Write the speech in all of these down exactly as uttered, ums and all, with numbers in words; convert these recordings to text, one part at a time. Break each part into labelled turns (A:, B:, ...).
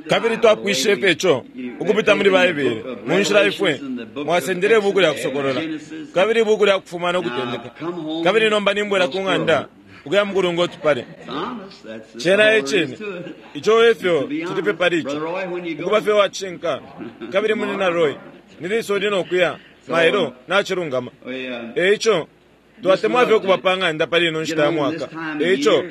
A: Kabili twapwishe fye ico ukupita muli Baibele mu nshila ifwe mwasendele ibuku lya Kusokolola kabili ibuku lya Kufuma no Kutendeka. Kabili nomba nimbwela ku ng'anda ukuya mukulunga utupale. Cena e cine. Ico efyo cili fye pali ico. Ukuba fye uwacishinka. Kabili Munyina Roy, ni lisa uli no kuya? Mailo, nacilungama. E ico, twatemwa fye ukuba pa ng'anda pali ino nshita ya mwaka. E ico,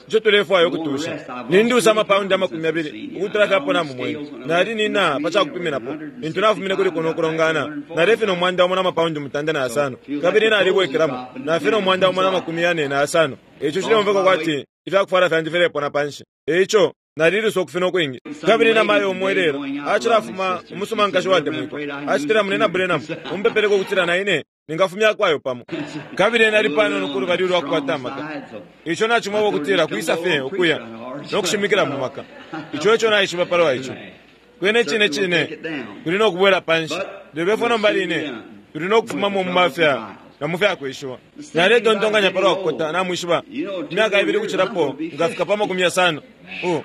A: ico tulefwaya ukutusha. Nindusa amapaundi amakumi yabili ukutula fye apo namumwene. Nali nina pa ca kupiminapo lintu nafumine kuli kuno kulongana. Nalefina umwanda umo na mapaundi mutanda na yasano. Kabili nalibwekelamo, nafina umwanda umo na makumi yane na yasano. E ico cileumfwika kwati ifya kufwala fyandi filepona panshi. E ico, nalilusa ukufina ukwingi. Kabili na mayo umo ilelo acilafuma umusuma nkashi watemwikwa. Acitila Munyina Branham, umpepeleko ukutila na ine ningafumya kwayo pamo. Kabili nali panono ku lubali ulwa kukwata amaka. Ico nacimweba ukutila kwisa fye ukuya no kushimikila mu maka. Ico eco naishiba palwa ico. Kwena icine cine tuli no kubwela panshi. Lelo ifwe nomba line tuli no kufumamo mu mafya na mu fya kweshiwa. Naletontonkanya palwa kukota, namwishiba, imyaka ibili ukucilapo nkafika pa makumi yasano. Uh,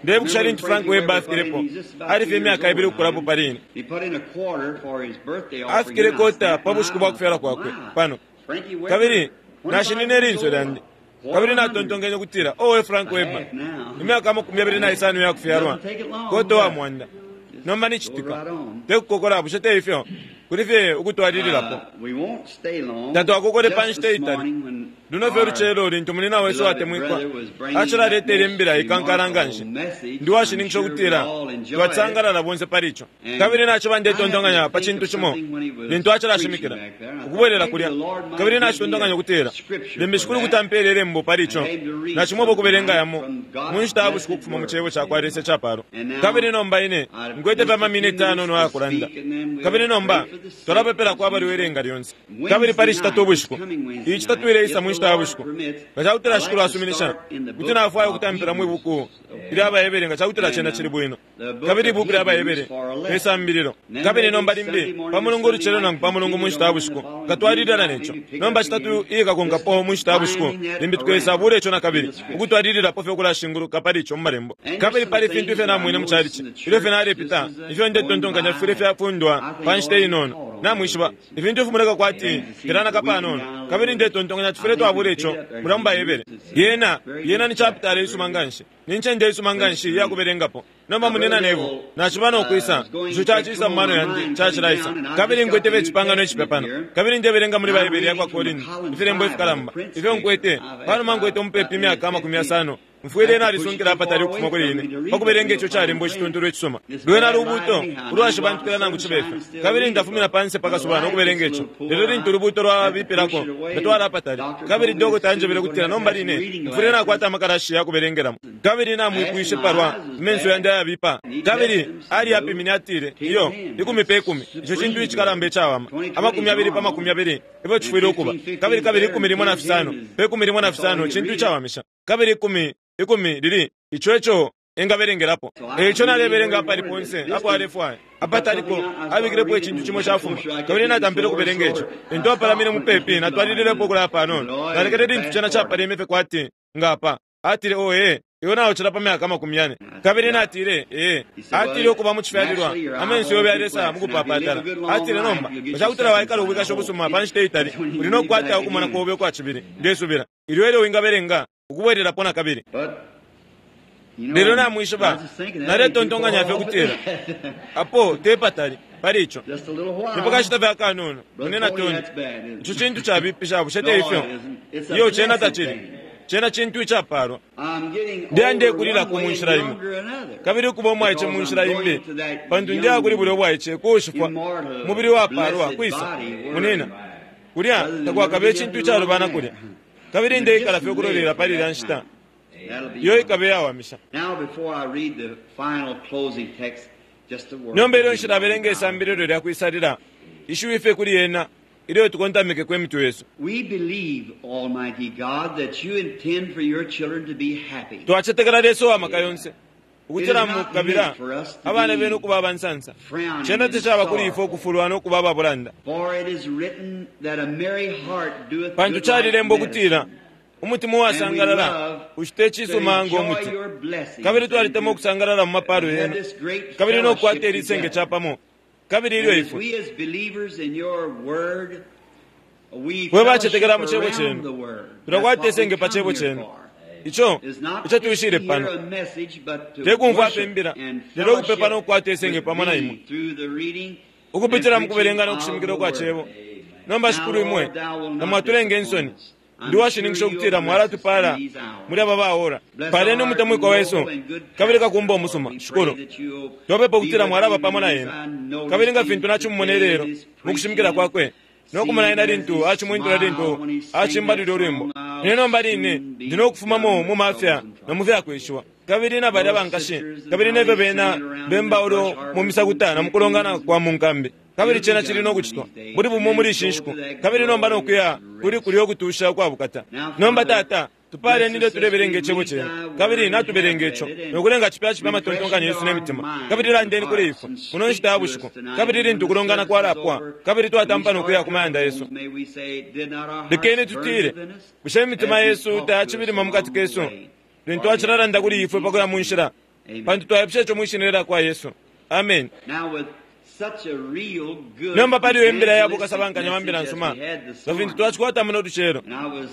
A: ndebukisha lintu Frank Webber afikilepo, ali fye imyaka ibili ukukulapo pali ine. Afikile kota pa bushiku bwa kufyalwa kwakwe pano. Kabili nashinine ilinso lyandi. Kabili natontonkenye ukutila, owe Frank Webber, imyaka amakumi yabili na isano ya kufyalwa, kota wa mwanda. Nomba nicitika, te kukokola, bushe te ifyo? Kuli fye ukutwalililapo. Tatwakokole pa nshita itali. Luno fye ulucelo lintu munyina wesu watemwikwa acilaletele imbila ikankala nga nshi. Ndi washininkisha ukutila twasangalala bonse pali ico. Kabili naciba ndetontonkanya pa cintu cimo lintu acilashimikila ukubwelela kulya. Kabili nacitontonkanya ukutila limbi Shikulu kuti ampele ilembo pali ico. Nacimweba ukubelenga yamo mu nshita ya bushiku ukufuma mu cebo ca kwa Lesa icapalo. Kabili nomba ine nkwete fye amaminiti ayanono ayakulanda. Kabili nomba twalapepelako abalwele nga lyonse. Kabili pali citatu ubushiku, iyi citatu ileisa mu nshita ya bushiku, nga cakutila Shikulu asuminisha, kuti nafwaya ukutampila mwi buku ilya Bahebere nga cakutila cena cili bwino. Kabili ibuku lya Bahebere lisambililo. Kabili nomba limbi pa Mulungu ulucelo nangu pa Mulungu mu nshita ya bushiku nkatwalilila neco. Nomba citatu iyikakonkapo mu nshita ya bushiku limbi tukesabula ico nakabili, ukutwalililapo fye ukulashinguluka pali ico mu malembo. Kabili pali ifintu ifyo namwine mu calici ilyo fye nalepita, ifyo ndetontonkanya fifwile fyafundwa pa nshita inono. Namwishiba ifintu ifimoneka kwati filanaka panono. Kabili ndetontonkanya tufwile twabula ico mulya mu Baibele. Yena yena ni chapitala isuma nga nshi, ni ncende isuma nga nshi iya kubelengapo. Nomba munyina Neville, naciba no kwisa, ico cacisa mu mano yandi cacilaisa. Kabili nkwete icipangano icipya pano. Kabili ndebelenga muli Baibele yakwa Korinti ifilembo ifikalamba ifyo nkwete panuma nkwete umupepi imyaka amakumi yasano. Mfwile nalisunkila apatali ukufuma kuli ine pa kubelenga ico calembo icituntulu icisuma. Lwena lubuuto ulwashibantukila nangu cibe fyo. Kabili ndafumina panse pa kasuba no kubelenga ico. Lelo lintu ulubuuto lwabipilako, ndatwala apatali. Kabili dokota anjebele ukutila nomba line mfwile nakwata amakalashi ya kubelengelamo. Kabili namwipwishe palwa menso yandi ayabipa. Kabili aliyapimine atile, iyo, ikumi pe kumi. Ico cintu icikalamba icawama. Amakumi abili pa makumi abili efyo cifwile ukuba. Kabili kabili ikumi limo na fisano pe kumi limo na fisano cintu icawamisha. Kabili ikumi ikumi lili ico eco engabelengelapo. Eico nalebelenga apali ponse apo alefwaya. Apataliko abikilepo icintu cimo cafuma. Kabili natampile ukubelenga ico. Lintu apalamine mupepi natwalililepo ukulaya panono. Nalekele lintu cena capaleme fye kwati ngapa. Atile, oh ee, iwe naucila pa myaka amakumi yane. Kabili natile, ee. Atile ukuba mu cifyalilwa, amenso yobe yalesa mu kupapatala. Atile nomba, nga cakutila waikala ubwikashi ubusuma pa nshita itali, uli no kukwata ukumona kobe ukwa cibili. Ndesubila ilyo elyo wingabelenga ukubwelelapo nakabili. Lelo namwishiba, naletontonkanya fye ukutila apo te patali pali ico. Ni pakashita fye akanono, munyina Tony. Ico cintu cabipisha, bushe te ifyo? Iyo, cena tacili. Cena cintu icapalwa. Ndeya ndekulilako mu nshila imo, kabili ukuba umwaice mu nshila imbi, pantu ndeya kuli bulya ubwaice kuushifwa, umubili wapalwa kwisa, munina. Kulya takwakabe icintu icalubana kulya. Kabili ndeikala fye ukulolela pali ilya nshita iyo ikabe iyawamisha. Nomba ilyo nshilabelenga isambililo lya kwisalila, ishiwi fye kuli yena ilyo tukontamikeko imitwe yesu.
B: We believe, Almighty God, that you intend for your children to be happy.
A: Twacetekela Lesa uwa maka yonse ukutila mukabila abana benu ukuba abansansa. Cena tacaba kuli ifwe ukufulwa no kuba ababulanda.
B: For it is written that a merry heart doeth
A: Pantu
B: good
A: calilembwa
B: like
A: ukutila
B: medicine.
A: Umutima uwasangalala ushite cisuma ngo muti. Kabili twalitemwa ukusangalala mu mapalo yenu, kabili nokukwata ilisenge capamo. Kabili ilyo ifwe fwe bacetekela mu cebo cenu, tulakwata isenge pa cebo cenu. Ico ico tuishile pano tekumfwa ape imbila, lelo ukupepa nokukwata isenge pamo na imwe ukupitila mu kubelenga nokushimikila kwa cebo. Nomba Shikulu imwe namwatulenga insoni, ndi washininkisha ukutila mwalatupala muli aba baora. Paleni umutemwikwa wesu kabili kakumba umusuma. Shikulu, twapepa ukutila mwalaba pamo na ena, kabili nga fintu nachimumona ilelo mukushimikila kwakwe nokumona ena lintu achimwintula lintu achimbalile ulwimbo. Ine nomba line ndi nokufumamo mu mafya na mu fyakweshiwa, kabili na balya bankashi, kabili nefyo bena bemba ulo mu misakuta na mukulongana kwa mu nkambi. Kabili cena cili nokucitwa buli bumo muli ishi nshiku, kabili nomba nokuya kuli kulya ukutusha ukwabukata. Nomba Tata, tupaleni ilyo tulebelenga icebo cenu, kabili natubelenga ico nokulenga cipya cipya amatontonkanyo yesu ne mitima. Kabili landeni kuli ifwe muno nshita ya bushiku, kabili lintu kulongana kwalapwa, kabili twatampa nokuya ku mayanda yesu, lekeni tutile, bushe imitima yesu tayacibilima mukati kesu lintu acilalanda kuli ifwe pakuya mu nshila, pantu twayapusha ico mwishina lya Yesu. Amen. Nomba paliyo imbila ya bukasabankanya wa mbila nsuma nga fintu twacikwata muno lucelo.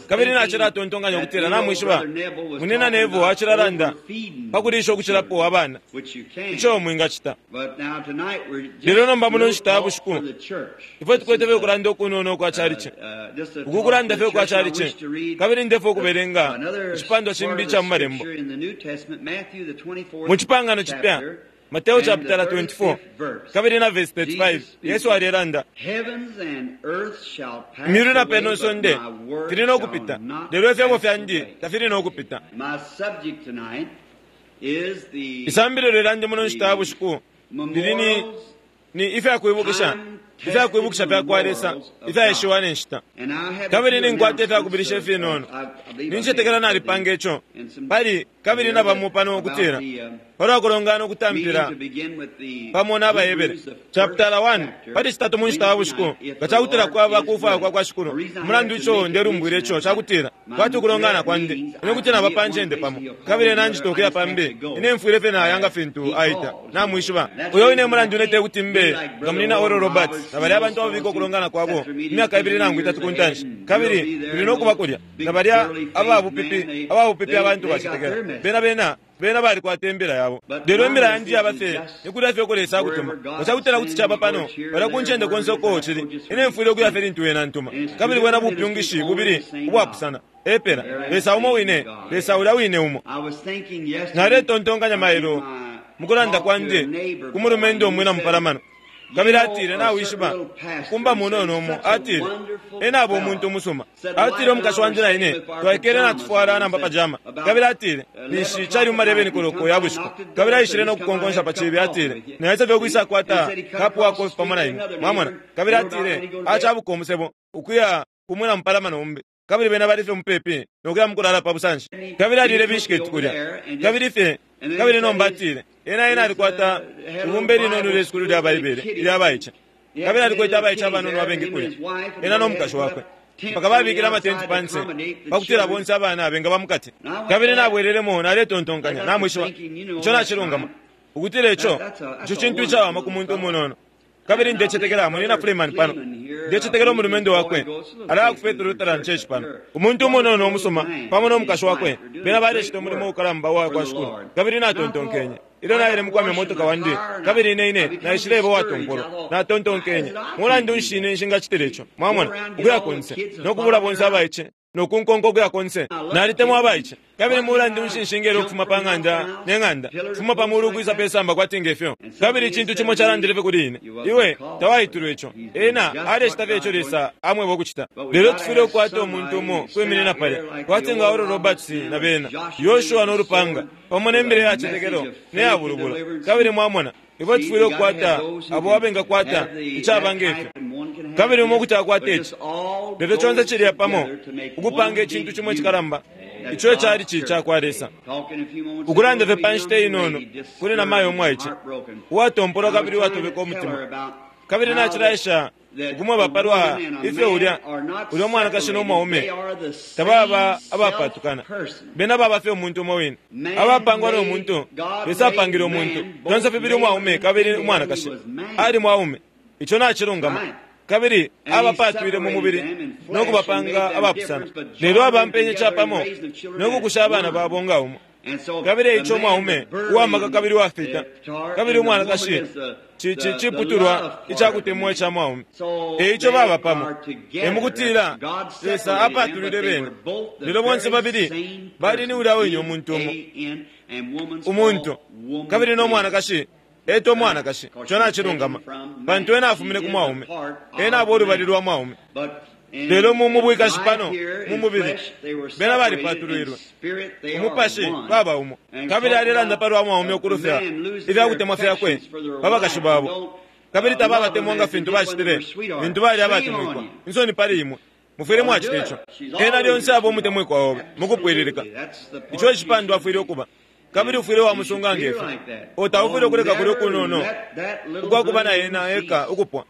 A: Kabili nacilatontonkanya ukutila namwishiba munina Nevo acilalanda pakulisha ukucilapo abana, ico mwingacita. Lelo nomba muno nshita ya bushiku ifwe tukwete fye ukulanda ukunono kwa chalichi, uku kulanda fye kwa chalichi. Kabili ndefwe ukubelenga icipandwa cimbi ica mu Malembo mu Cipangano Cipya, Mateo chapter twenty-four, kabili na verse thirty-five. Yesu alelanda, imyulu na peno nsonde fili nokupita, lelo ifyebo fyandi tafili nokupita. Isambililo lyandi muno nshita ya bushiku lili ni ni ifyakwibukisha ifyakwibukisha fyakwa Lesa ifyaishiwa ne nshita. Kabili ninkwata ifyakubilisha ifinono, nincetekela nalipanga ico pali kabili nabamo pano ukutila palwa kulongana ukutampila pamo n'Abahebere chapter one pali citatu mu nshita ya bushiku, nga cakutila kwaba kufwaya kwa kwa Shikulu. Umulandu ico ndelumbwile ico cakutila kwati ukulongana kwandi ine kuti naba pa ncende pamo, kabili nanjita ukuya pambi ine mfwile fye nayanga fintu aita namwishiba. Uyo ine mulandu ine tekuti mbe nga munina Oral Roberts na balya abantu ababika ukulongana kwabo imyaka ibili nangu itatu ku ntanshi, kabili tuli nokuba kulya na balya ababupipi ababupipi abantu bacetekela bena bena bena balikwata imbila yabo. Lelo imbila yandi yaba fye nikulya fye uko Lesa akutuma. Nga cakutila kuti caba pano balya ku ncende konse uko cili, ine mfwile ukuya fye lintu wena ntuma. Kabili bwena bupyungishi bubili ubwapusana epela Lesa umo wine, Lesa ulya wine umo. Naletontonkanya mailo mukulanda kwandi ku mulumendo umwina mupalamano, kabili atile nawishiba kumba munono umo, atile ena abo umuntu umusuma. Atile umukashi wandi na ine twaikele natufwala namba pajama, kabili atile ninshi cali mumalebeni koloko ya bushiku, kabili aishile nokukonkonsha pa cibi. Atile naisa fye ukwisa kwata kapu wa kofi pamo na imwe, mwamona. Kabili atile acabuka umusebo ukuya kumwina mupalamano umbi, kabili bena bali fye mupepi nokuya mukulala pa busanshi. Kabili alile bishiketi kulya, kabili fye kabili nomba atile ena ena alikwata ibumba ilinono lyesukulu lya Baibele ilya baice, kabili alikwete abaice abanono abengi kulya, ena nomukashi wakwe, mpaka babikile amatenti panse pakutila bonse abana bengaba mukati. Kabili nabwelelemo naletontonkanya namwishiba ico nacilungama ukutila ico ico cintu icawama ku muntu umunono. Kabili ndecetekela munina Freeman pano, ndecetekela umulumendo wakwe alaya ku Faith Lutheran Church pano, umuntu umunono umusuma pamo nomukashi wakwe, bena balecita umulimo ukalamba uwa kwa Shikulu. Kabili natontonkenye ilyo naile mukwamya motoka wandi, kabili ine ine naishileba uwatompolwa, natontonkenye mulandu nshi ine nshingacitila ico, mwamona, ukuya konse nokubula bonse abaice nokunkonka ukuya konse. Nalitemwa abaice, kabili mulandu nshi nshingele ukufuma pa ng'anda ne ng'anda kufuma pa mulu ukwisa pe samba kwati ngefyo. Kabili icintu cimo calandile fye kuli ine, iwe tawaitulwa ico, ena alecita fye ico Lesa amweba ukucita. Lelo tufwile ukukwata umuntu umo kwiminina palya kwati nga Oral Roberts na bena Yoshua nolupanga pamo nembele yacetekelo neyabulubula. Kabili mwamona ifwe tufwile ukukwata abo abengakwata icaba ngefyo, kabili umo kuti akwata ici, lelo conse cilya pamo ukupanga icintu cimo icikalamba ico cali ci cakwa Lesa. Ukulanda fye pa nshita inono kuli namayo umwaice uwatompolwa kabili uwatobeka umutima, kabili nacilaisha Ukumweba palwa ifyo ulya ulya mwanakashi no mwaume tababa abapatukana, bena baba fye umuntu umo wine, abapangwa no muntu. Lesa apangile umuntu fyonse fibili, umwaume kabili umwanakashi. Ali mwaume, ico nacilungama, kabili abapatwile mu mubili no kubapanga abapusana, lelo abampenye capamo no kukusha abana babo nga umo. Kabili eico umwaume uwamaka kabili uwafita, kabili umwanakashi ciputulwa icakutemwa ica mwaume. Eico baba pamo, emukutila Lesa apatulile bena, lelo bonse babili bali ni ulya wine umuntu umo, umuntu kabili no mwanakashi eto mwanakashi. Ico nacilungama, pantu ena afumine ku mwaume, ena aba ulubali lwa mwaume. Lelo mu mubwikashi pano mu mubili bena balipatulwilwe, umupashi baba umo. Kabili alelanda palwa mwaume ukulufya ifyakutemwa fyakwe pa bakashi babo, kabili tababatemwa nga fintu bacitile lintu bali abatemwikwa. Insoni pali imwe, mufwile mwacita ico. Ena lyonse aba umutemwikwa obe mukupwililika. Ico icipandwa afwile ukuba, kabili ufwile wamusunga ngefyo. Otaufwile ukuleka kulya ukunono ukwakuba na ena eka ukupwa,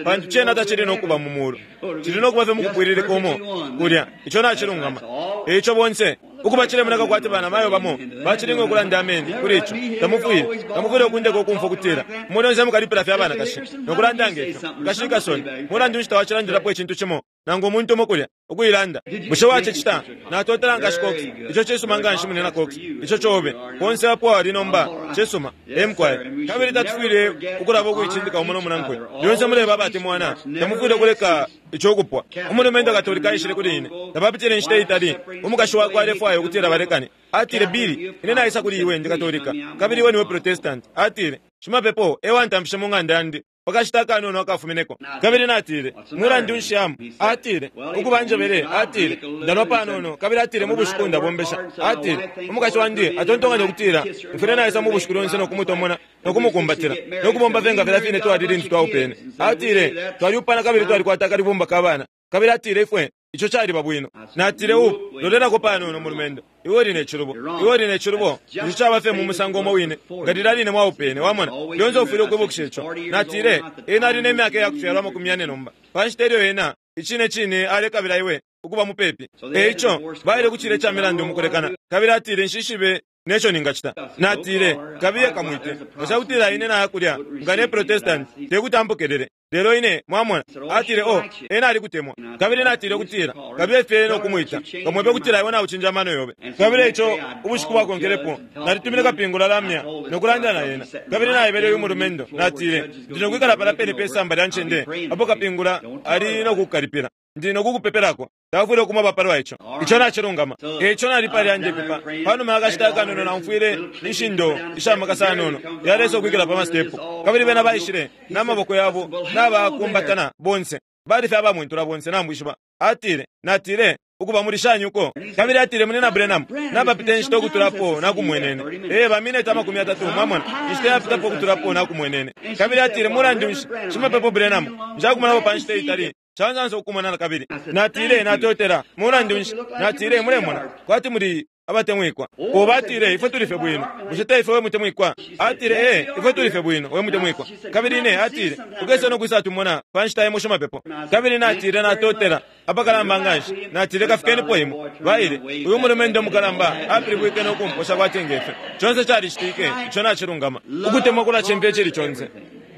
A: pantu cena tacili nokuba mu mulu, cili nokuba fye mukupwililika umo kulya. Ico nacilungama. Eico bonse ukuba cilemoneka kwati bana mayo bamo bacilinga ukulanda ameni kuli ico. Tamufwile tamufwile ukundeka ukumfwa ukutila mwe lyonse mukalipila fye abanakashi nokulanda ngefyo. Nkashikasoni mulandu nshi tawacilandilapo icintu cimo nangu umuntu umo kulya ukuilanda? Bushe wacicita? Natotela nkashi Cox. Ico cisuma nganshi, munena Cox. Ico cobe konse apo ali nomba cisuma emkwaya. Kabili tatufwile ukulaba ukuicindika umo nomunankwe. Lyonse muleba abatemwana, tamufwile ukuleka ico ukupwa. Umulumendo Katolika aishile kuli ine tapapitile inshita itali. Umukashi wakwe alefwaya ukutila balekane. Atile, Billy, ine naisa kuli iwe ndi Katolika kabili iwe niwe Protestant. Atile, shimapepo ewantamfishe mu ng'anda yandi pakashita akanono akafumineko. Kabili natile, mulandu nshi amu? Atile, ukuba njebele. Atile, ndanwa panono. Kabili atile, mu bushiku ndabombesha. Atile, umukashi wandi atontonkanya ukutila mfwile naisa mu bushiku lyonse nokumutomona nokumukumbatila nokubomba fye nga filya fine twali lintu twaupene. Atile, twalyupana kabili twalikwata akalibumba ka bana. Kabili atile, ifwe ico caliba bwino. Natile, upu lolelako panono mulumendo, iwe uli ne cilubo, iwe uli ne cilubo. Ico caba fye mu musango umo wine nga lilya line mwaupene. Wamona, lyonse ufwile ukwibukisha ico. Natile, ena ali ne myaka yakufyalwa amakumi yane nomba, pa nshita ilyo ena icine cine alekabila iwe ukuba mupepi. Eico baile ku cile ca milandu mukulekana. Kabili atile, nshishibe neco ningacita. Natile, kabiye kamwite, nga cakutila ine naya kulya nga ne Protestant tekuti ampokelele, lelo ine mwamona. Atile, o ena alikutemwa. Kabili natile ukutila kabiye fye nokumwita, kamwebe ukutila iwe naucinja amano yobe. Kabili eico ubushiku bwakonkelepo nalitumine kapingula lamya nokulanda na ena. Kabili naebele uyu mulumendo, natile, ndi nokwikala pala pene pe samba lya ncende apo kapingula ali nokukukalipila, ndi nokukupepelako. Tawafwile ukumweba palwa ico. Ico nacilungama. Eico nali palya ndepepa. Panuma yakashita akanono naumfwile inshindo ishamakasa anono yalesa ukwikila pa masitepu. Kabili bena baishile n'amaboko yabo n'abakumbatana bonse, bali fye abamwentula bonse namwishiba. Atile, natile, ukuba muli shani uko? Kabili atile, munena Branham, napapita inshita ukutulapo nakumwenene. Ee, bamineti amakumi atatu, mwamona, inshita yapitapo ukutulapo nakumwenene. Kabili atile, mulandu nshi, shimapepo Branham, nshakumonapo pa nshita itali, cansansa ukumonana kabili. Natile, natotela. Mulandu nshi, natile, mulemona kwati muli abatemwikwa. Ubo atile, ifwe tuli fye bwino. Bushe te ifwe we mutemwikwa? Atile, ee, ifwe tuli fye bwino we mutemwikwa. Kabili ine atile, ukese nokwisa tumona pa nshita imo shimapepo. Kabili natile, natotela apakalamba nganshi. Natile, kafikenipo imwe. Baile, uyu mulumendo mukalamba apilibwike nokumposha kwati ngefyo. Conse calicitike. Ico nacilungama. Ukutemwa kulacimfya icili conse.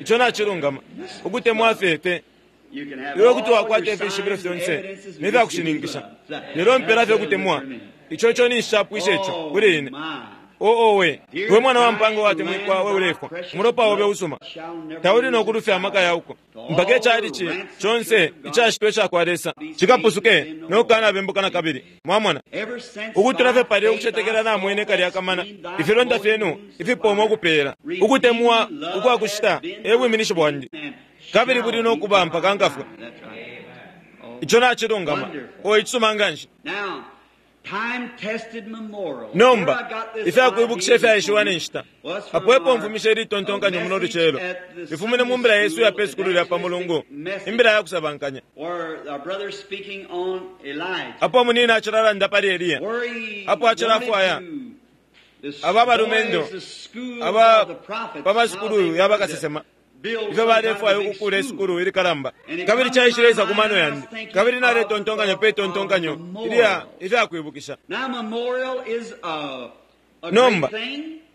A: Ico nacilungama. Ukutemwa fye iwe kuti wakwata ifishibilo fyonse nefyakushininkisha, lelo mpela fye kutemwa. Ico ico ninshapwisha ico kuli ine. Oowe, we mwana wa mpanga watemwikwa, we ulefwa, umulopa obe usuma tauli nokulufya amaka yauko mpaka icalici conse icashitwa icakwa Lesa cikapusuke nokukanabembuka na kabili. Mwamona, ukutula fye palya ukucetekela namwene kalya kamana, ifilonda fyenu ifipoma ukupeela ukutemwa ukwakushita e bwiminishi bwandi, kabili buli nokuba mpaka nkafwe. Ico nacilungama. O icisuma nganshi. Nomba ifyakwibukisha ifyaishiwa ne nshita apo epo mfumisha ilitontonkanyo muno lucelo ifumine mu mbila yesu ya pe sukulu lya pa Mulungu, imbila ya kusabankanya, apo munina acilalanda pali Eliya, apo acilafwaya aba balumendo aba pa masukulu ya bakasesema Ifyo balefwaya ukukula isukulu ilikalamba. Kabili caishileisa ku mano yandi. Kabili naletontonkanya pe tontonkanyo ilya ifyakwibukisha. Nomba,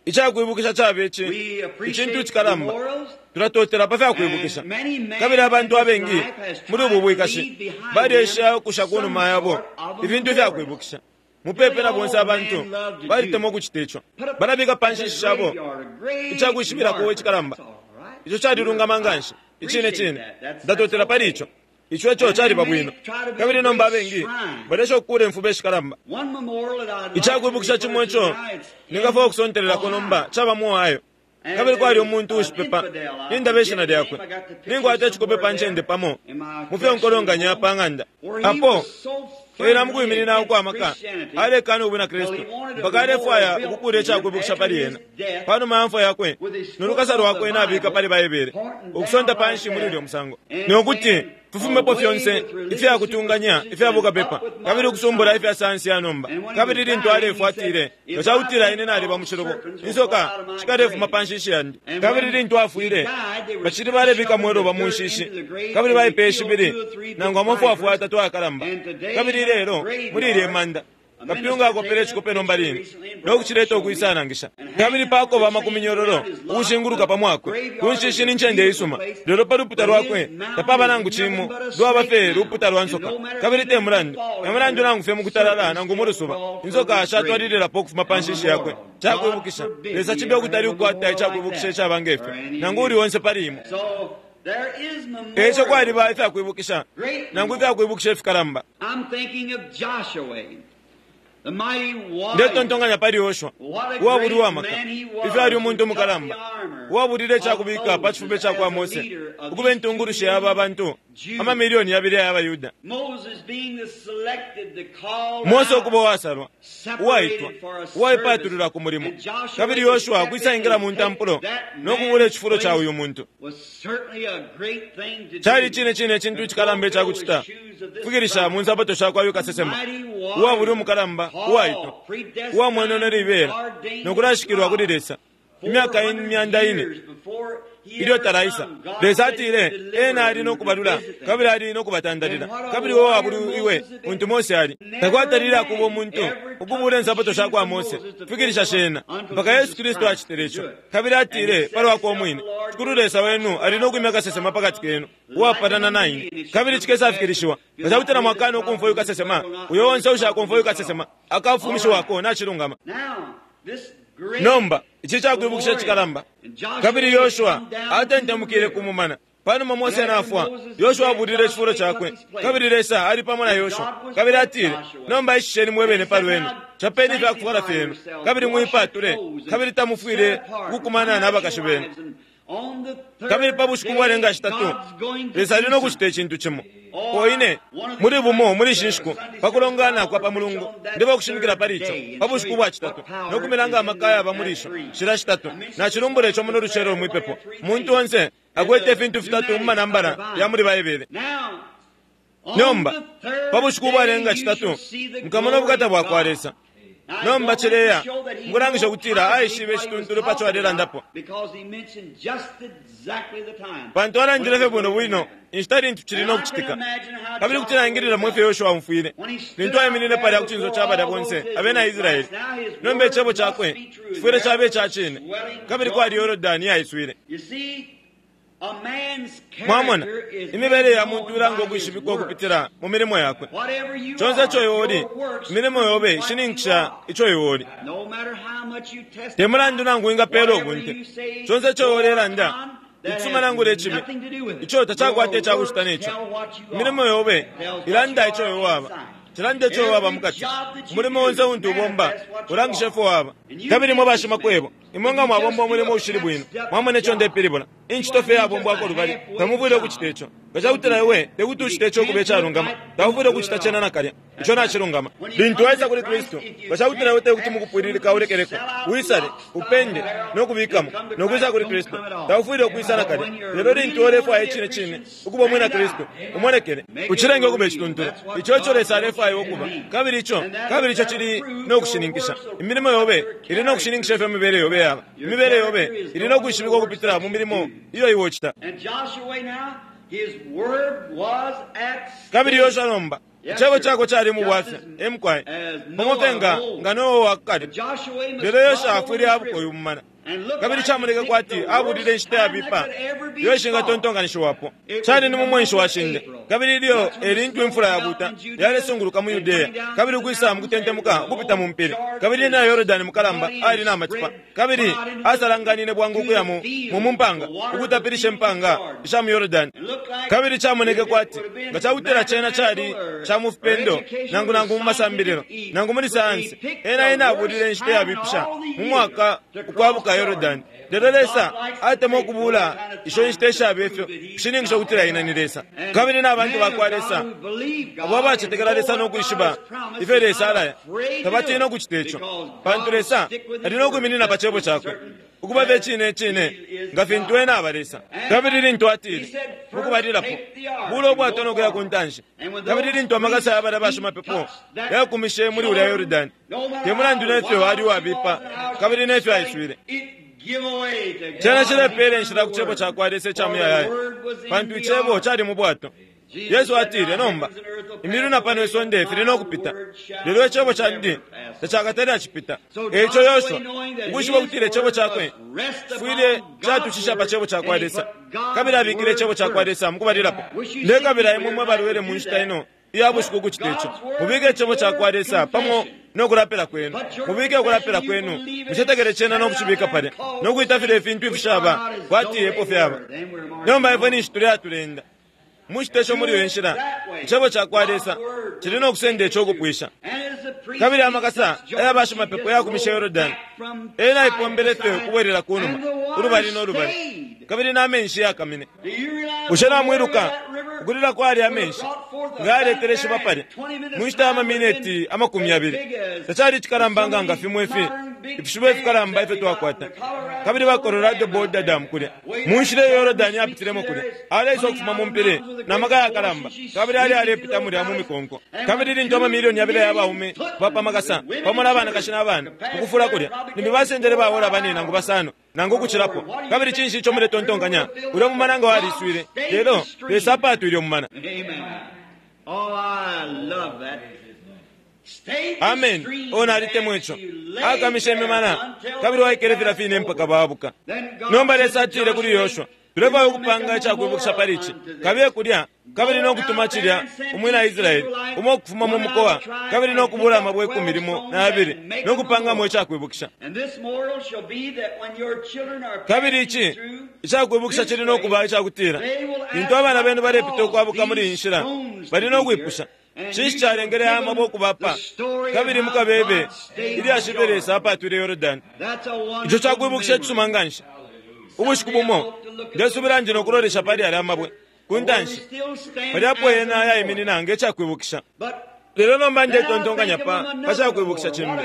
A: icakwibukisha caba ici icintu cikalamba. Tulatotela pa fyakwibukisha. Kabili abantu abengi muli ubu bwikashi balyesha ukusha ku numa yabo ifintu ifyakwibukisha. Mupepe na bonse abantu balitemwa ukucita ico. Balabika pa nshishi shabo icakwishibirako icikalamba. Ico calilungama nganshi. Icine cine ndatotela pali ico. Ico eco caliba bwino. Kabili nomba abengi balesha ukukula imfuba ishikalamba. Icakwibukisha cimo ico ningafwaya ukusontelelako nomba caba mu Ohio. Kabili kwali umuntu ushipepa, nindaba ishina lyakwe. Ninkwata icikope pa ncende pamo mufyo nkolonganya pa ng'anda. Apo ena mukwiminina ukwamaka alekana ubwina Kristu mpaka alefwaya ukukula icakwibukisha pali ena. Panuma ya mfwa yakwe nolukasa lwakwe nabika pali Baibele, ukusonta panshi muli ulyo musango, nokuti tufumepo fyonse ifyakutunganya ifyabukapepa kabili ukusumbula ifya sayansi ya nomba. Kabili lintu alefwa atile, nga cakutila ine naliba mu cilubo, insoka shikalefuma pa nshishi yandi. Kabili lintu afwile, bacili balebika mweloba mu nshishi, kabili baipeye shibili nangu amafwafwa atatu ayakalamba. Kabili lelo muli ilye manda kapyunga akopele icikope nomba line nokucileta ukwisanangisha. Kabili pakoba amakuminyololo ukushinguluka pa mwakwe ku nshishi ni ncende isuma, lelo pa luputa lwakwe tapaba nangu cimo, lwaba fye luputa lwa nsoka. Kabili te mulandu te mulandu nangu fye mukutalala nangu mu lusuba, insoka shatwalililapo ukufuma pa nshishi yakwe. Cakwibukisha Lesa cibe ukutali ukukwata icakwibukisha icaba ngefyo nangu uli onse pali imwe. Eco kwaliba ifyakwibukisha nangu ifyakwibukisha ifikalamba. Ndetontonkanya pali Yoshua, uwabuli uwamaka, ifyo ali umuntu umukalamba, uwabulile icakubika pa cifuba ca kwa Mose, ukuba intungulushi ya aba bantu amamilioni yabili aya Bayuda. Mose ukuba uwasalwa, uwaitwa, uwaipatulula ku mulimo, kabili Yoshua ukwisaingila mu ntampulo no kubula icifulo ca uyu muntu. Cali cine cine icintu icikalamba icakucita, kufikilisha mu nsapato sha kwa uyu kasesema, uwabuli umukalamba, uwaitwa, uwamwenene libela, no kulashikilwa kuli Lesa imyaka imyanda ine ilyo talaisa. Lesa atile ena ali nokubalula kabili ali nokubatandalila. Kabili uwo wabuli iwe untu Mose ali takwatalile akuba umuntu ukubula insapato sha kwa Mose kufikilisha shena mpaka Yesu Kristu acitile ico. Kabili atile palwakwe umwine, Shikulu Lesa wenu ali nokwimya kasesema pakati kenu uwapatana na ine. Kabili cikesafikilishiwa nga cakutila mwakana ukumfwa uyu kasesema, uyo onse ushakumfwa uyu kasesema akafumishiwako nacilungama. Nomba ici cakwibukisha cikalamba. Kabili Yoshua atentemukile ku mumana. Panuma Mose nafwa, Yoshua abulile icifulo cakwe. Kabili Lesa ali pamo na Yoshua. Kabili atile, nomba ishisheni mwebene palwenu, capeni ifyakufwala fyenu, kabili muipatule, kabili tamufwile ukukumana n'abakashi benu. Kabili pa bushiku bwalenga shitatu, Lesa ali nokucita icintu cimo. Oine muli bumo muli ishi nshiku pakulongana kwa pa mulungu ndeba kushimikila pali ico pa bushiku bwa citatu nokumilanga amaka yaba muli isho shila shitatu. Nacilumbula ico muno lucelo mwipepo. Muntu onse akwete ifintu fitatu mu manambala ya muli Baibele. Nomba pa bushiku bwalenga citatu mukamona ubukata bwa kwa Lesa. Nomba cileya mukulangisha ukutila aishibe icituntulu paco alelandapo, pantu alandile fye bwino bwino inshita lintu cili nokucitika. Kabili kuti naingililamo ifyo Yoshua amfwile lintu aiminine palya ku cinso ca balya bonse abena Israeli. Nomba icebo cakwe cifwile caba ica cine. Kabili kwali Yorodani yaiswile. Mwamona, imibele ya muntu ilanga ukwishibikwa ukupitila mu milimo yakwe. Conse ico iwe uli, imilimo yobe ishininkisha ico iwe uli. Te mulandu nangu wingapela ubunte, conse ico iwe ulelanda, icisuma nangu lecibi, ico tacakwata icakucita neco. Imilimo yobe ilanda ico iwe waba, cilanda ico iwe waba mukati. Umulimo onse untu ubomba ulangisha ifyo waba. Kabili mwe bashimakwebo, imwe nga mwabomba umulimo ushili bwino, mwamona ico ndepilibula. Incito fye yabombwako lubali, tamufwile ukucita ico. Nga cakutila iwe tekuti ucite ico ukuba icalungama, taufwile ukucita cena nakalya. Ico nacilungama. Lintu waisa kuli Kristu, nga cakutila iwe tekuti mukupwililika ulekeleko, wisale, upende, nokubikamo, nokwisa kuli Kristu, taufwile ukwisa nakalya. Lelo lintu ulefwaya icine cine ukuba umwina Kristu, umonekele, ucilenge ukuba icituntulu. Ico ico Lesa alefwaya ukuba. Kabili ico, kabili ico cili nokushininkisha. Imilimo yobe ili nokushininkisha ifyo imibele yobe. yobe yaba. Imibele yobe ili no kwishibikwa ukupitila mu milimo iyo iwe ucita. Kabili Yoshua nomba icebo chakwe cali mu bwafya emukwaye pamo fye nga nga Noa wakale. Lelo Yoshua afwile abuka uyu mumana, kabili camoneke kwati abulile inshita yabipa iyo ishingatontonkanishiwapo. Cali ni mu mwenshi wa shinde, kabili ilyo elintu imfula yabuta yalesunguluka mu Yudeya, kabili ukwisa mu kutentemuka ukupita mu mpili, kabili na Yorodani mukalamba ali na matipa, kabili asalanganine bwangu ukuya mu mu mpanga ukutapilisha impanga isha mu Yorodani. Kabili camoneke kwati nga cakutila cena cali ca mu fipendo nangu nangu mu masambililo nangu muli sayansi, ena ena abulile inshita yabipisha mu mwaka ukwabuka Yorodani. Lelo Lesa atemwa ukubula isho inshita ishabe ifyo kushininkisha ukutila ina ni Lesa. Kabili n'abantu bakwa Lesa abo abacetekela Lesa n'okwishiba ifyo Lesa alaya tabatina ukucita ico, pantu Lesa ali n'okwiminina pa cebo cakwe ukuba fye cine cine nga fintu ena aba Lesa. Kabili lintu atile mukubalilapo bula ubwato nokuya ku ntanshi, kabili lintu amakasa ya balya bashimapepo yakumishe muli ulya Yorodani, te mulandu nefyo ali uwabipa kabili nefyo aiswile, cena cilepela inshila ku cebo cakwa Lesa ica muyayaya, pantu icebo cali mu bwato. Yesu atile, nomba imilu na pano isonde fili nokupita, lelo icebo candi tacakatale acipita. Eico Yoshua ukwishiba ukutila icebo cakwe fwile catushisha pa cebo cakwa Lesa, kabili abikile icebo cakwa Lesa mukubalilapo. Ndekabila imwe mwe balwele mu nshita ino iya bushiku ukucita ico. Mubike icebo cakwa Lesa pamo nokulapila kwenu, mubike ukulapila kwenu, mucetekele cena nokucibika palya, nokuita file ifintu ifishaba kwati epo fyaba. Nomba ifwe ninshi tuli atulenda mucitesho muli iyo nshila, icebo cakwa Lesa cili nokusenda ico ukupwisha. Kabili amakasa aya bashimapepo yakumisha Yorodani, ena aipombele fye ukubwelela ku numa ulubali n'olubali, kabili n'amenshi yakamine. Bushe namwiluka ukulila kwali amenshi nga yaletele shiba palya mu nshita ya mamineti amakumi yabili? Tacali icikalamba nga fimwe ifi ifishiba ifikalamba ifyo twakwata. Kabili ba Colorado Boulder Dam kulya mu nshila iyo Yorodani yapitilemo kulya, aleisa ukufuma mu mpili na maka yakalamba, kabili ali alepita mulya mu mikonko. Kabili lintu amamilioni yabili aya baume bapamakasa pamo n'abanakashi n'abana ukufula kulya, limbi basendele bawola bane nangu basano nangu ukucilapo. Kabili cinshi ico muletontonkanya? Ulya mumana nga waliswile, lelo Lesa apatwile umumana. Amen. O nalitemwa ico. Akamisha imimana kabili waikele filya fine mpaka babuka. Nomba Lesa atile kuli Yoshua, tulefwaya ukupanga icakwibukisha pali ici, kabiye kulya kabili nokutuma cilya umwina Israeli umo ukufuma mu mukowa, kabili nokubula amabwe ikumi limo na yabili nokupangamo icakwibukisha. Kabili ici icakwibukisha cili nokuba icakutila lintu abana benu balepita ukwabuka muli iyi nshila, bali nokwipusha cinshi calengele aya mabwe ukubapa, kabili mukabebe ilyashi ifyo Lesa apatwile Yorodani. Ico cakwibukisha icisuma nganshi. Ubushiku bumo ndesubila ndi nokulolesha pali alya mabwe ku ntanshi, palyapo yena yaiminina nge cakwibukisha. Lelo nomba ndetontonkanya pa pa cakwibukisha cimbi,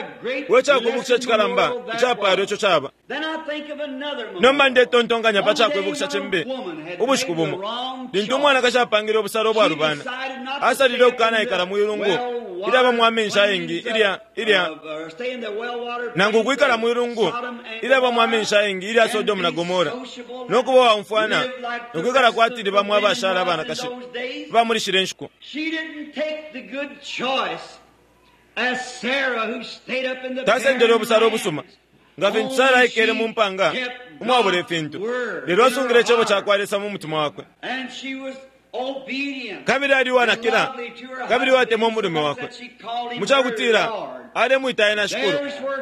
A: we cakwibukisha cikalamba icapalo ico caba. Nomba ndetontonkanya pa cakwibukisha cimbi. Ubushiku bumo lintu umwanakashi apangile ubusalo ubwalubana, asalile ukukanaikala mwilungu ilyabamo amenshi ayengi ilya ilya nangu ukwikala mwilungu ilyabamo amenshi ayengi ilya Sodomu na Gomora, nokuba waumfwana nokwikala kwati bamo abashala abanakashi bamulishile nshiku. Tasendele ubusalo ubusuma nga fintu Sara aikele mu mpanga umwabula ifintu, lelo asungile icebo cakwa Lesa mu mutima wakwe. Kabili ali uwanakila kabili watemwa umulume wakwe, mucakutila alemwita ena Shikulu.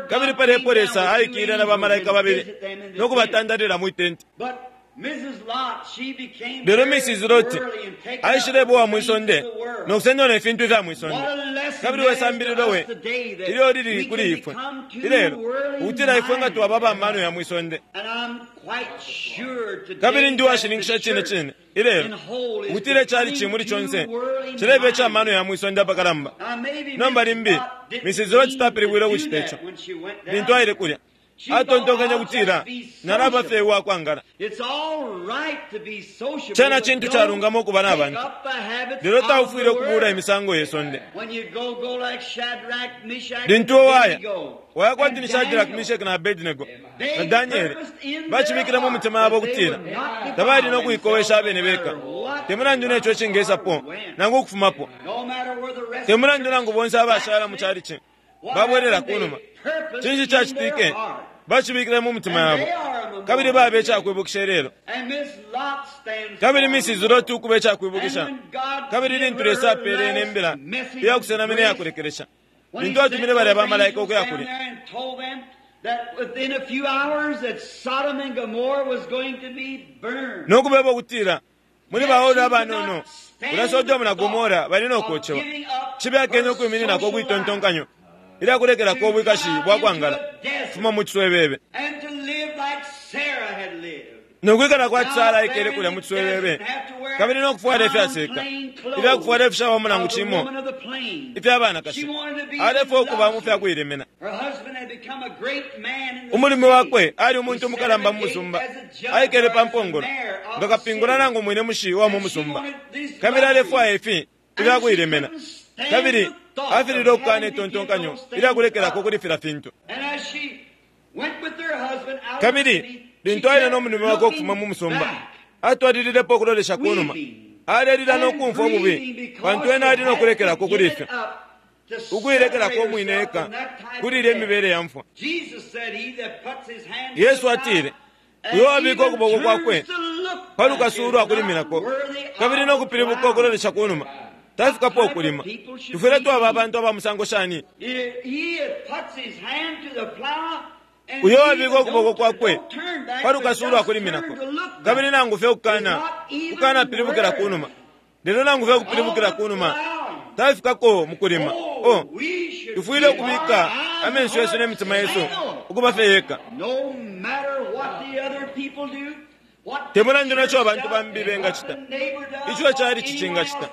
A: Kabili palepo Lesa aikile na bamalaika babili nokubatandalila mwi tenti. Lelo Missus Loti aishileba uwa mwisonde nokusendwa ne fintu ifya mwisonde. Kabili wesambililo we ilyo lili kuli ifwe ilelo, ukutila ifwe nga twaba abamano ya mwisonde. Kabili ndi uwashininkisha cine cine ilelo ukutila icali cimuli conse cileba ica mano ya mwisonde apakalamba. Nomba limbi Missus Loti tapilibwile ukucita ico lintu aile kulya, Atontonkenye kutila nalaba fye uwakwangala. Cena cintu calungama ukuba na bantu, lelo taufwile ukubula imisango ye sonde. Lintu waya waya kwati ni Shadrach, Meshach na Abednego na Daniel, bachibikile mu mitima yabo kutila tabali no kuikowesha abene beka, te mulandu neco cingesapo nangu ukufumapo, te mulandu nangu bonse abashala mu chalichi babwelela kunuma. Cinshi cacitike? Bachibikile mu mitima yabo, kabili babe icakwibukisha lelo. Kabili Missus Lot ukuba icakwibukisha, kabili lintu Lesa apele nembila iyakusenamina iyakulekelesha, lintu atumile balya bamalaika ukuya kulya, nokubeba ukutila muli baola abanono ulya Sodomu na Gomora bali nokocewa, cibe ukwimininako ukwitontonkanyo ilyakulekelako ubwikashi bwakwangala fuma mu ciswebebe, nokwikala kwati Sara aikele kulya mu ciswebebe, kabili nokufwala ifyaseka ifyakufwala ifishawamo nangu cimo ifya banakashi. Alefwaya ukuba mu fyakuilemena. Umulume wakwe ali umuntu umukalamba mu musumba, aikele pa mpongolo nga kapingula nangu mwine mushi wa mu musumba, kabili alefwaya ifi ifyakuilemena, kabili afilile ukukana itontonkanyo ilyakulekelako kuli fila fintu. Kabili lintu aile no mulume wakwe ukufuma mu musumba, atwalililepo ukulolesha kunuma, alelila nokumfwa ububi, pantu ena ali nokulekelako kuli ifyo, ukuilekelako umwine eka kuli ilya imibele ya mfwa. Yesu atile, uyo wabika ukuboko kwakwe pa lukasu ulwakuliminako kabili nokupilibuka ukulolesha kunuma tafikapo ukulima. Tufwile twaba abantu aba musango shani? Uyo wabika ukuboko kwakwe pa lukasu ulwakuliminako kabili nangu fye ukukana ukukana pilibukila kunuma, lelo nangu fye ukupilibukila kunuma tafikako mukulima. Oh, tufwile ukubika amenso yesu ne mitima yesu ukuba fye yeka. Te mulandu neco abantu bambi bengacita, ico cali cicingacita,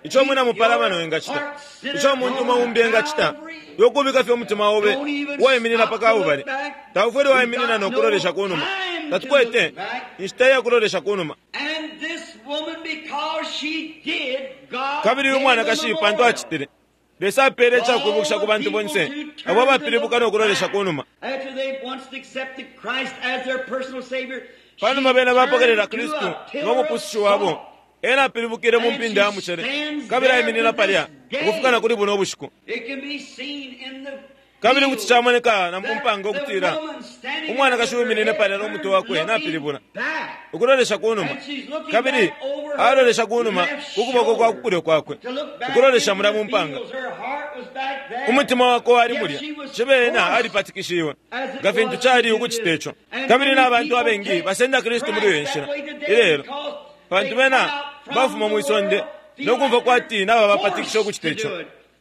A: ico mwina mupalamano engacita, ico umuntu umo umbi engacita, yokubika fye umutima obe waiminina pa Kalbale. Taufwile waiminina nokulolesha kunuma. Tatukwete inshita iyakulolesha kunuma. Kabili uyu mwanakashi pantu acitile, Lesa apele icakwibukisha ku bantu bonse abo abapilibuka nokulolesha kunuma. Panuma bena bapokelela Kristu ngo mupusushi wabo, ena apilibukile mu mpinda ya mucele, kabili aiminina palya ukufika na kuli buno ubushiku. Kabili kuti camoneka na mu mpanga ukutila umwanakashi wiminine palya no mutwe wakwe napilibula ukulolesha kunuma, kabili alolesha kunuma ku kuboko kwa kukulyo kwakwe, ukulolesha mulya mu mpanga. Umutima wakwe wali mulya, cibe ena alipatikishiwe nga fintu cali ukucita ico. Kabili n'abantu abengi basenda Kristu muli iyo nshila ilelo, pantu bena bafuma mwisonde nokumva kwati naba bapatikisha ukucita ico,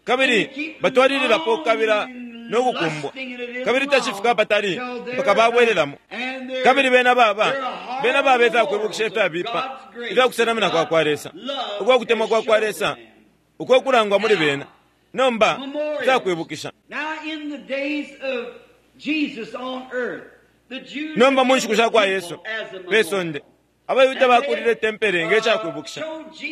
A: kabili batwalililapo kukabila nokukumbwa, kabili tacifika patali mpaka babwelelamo. Kabili bena baba bena baba ifyakwibukisha ifyabipa ifyakusenamina kwa kwa Lesa, ukwa kutemwa kwa kwa Lesa uko kulangwa muli bena. Nomba ifyakwibukisha. Nomba mu nshiku sha kwa Yesu pe sonde, abayuda bakulile tempele nge cakwibukisha,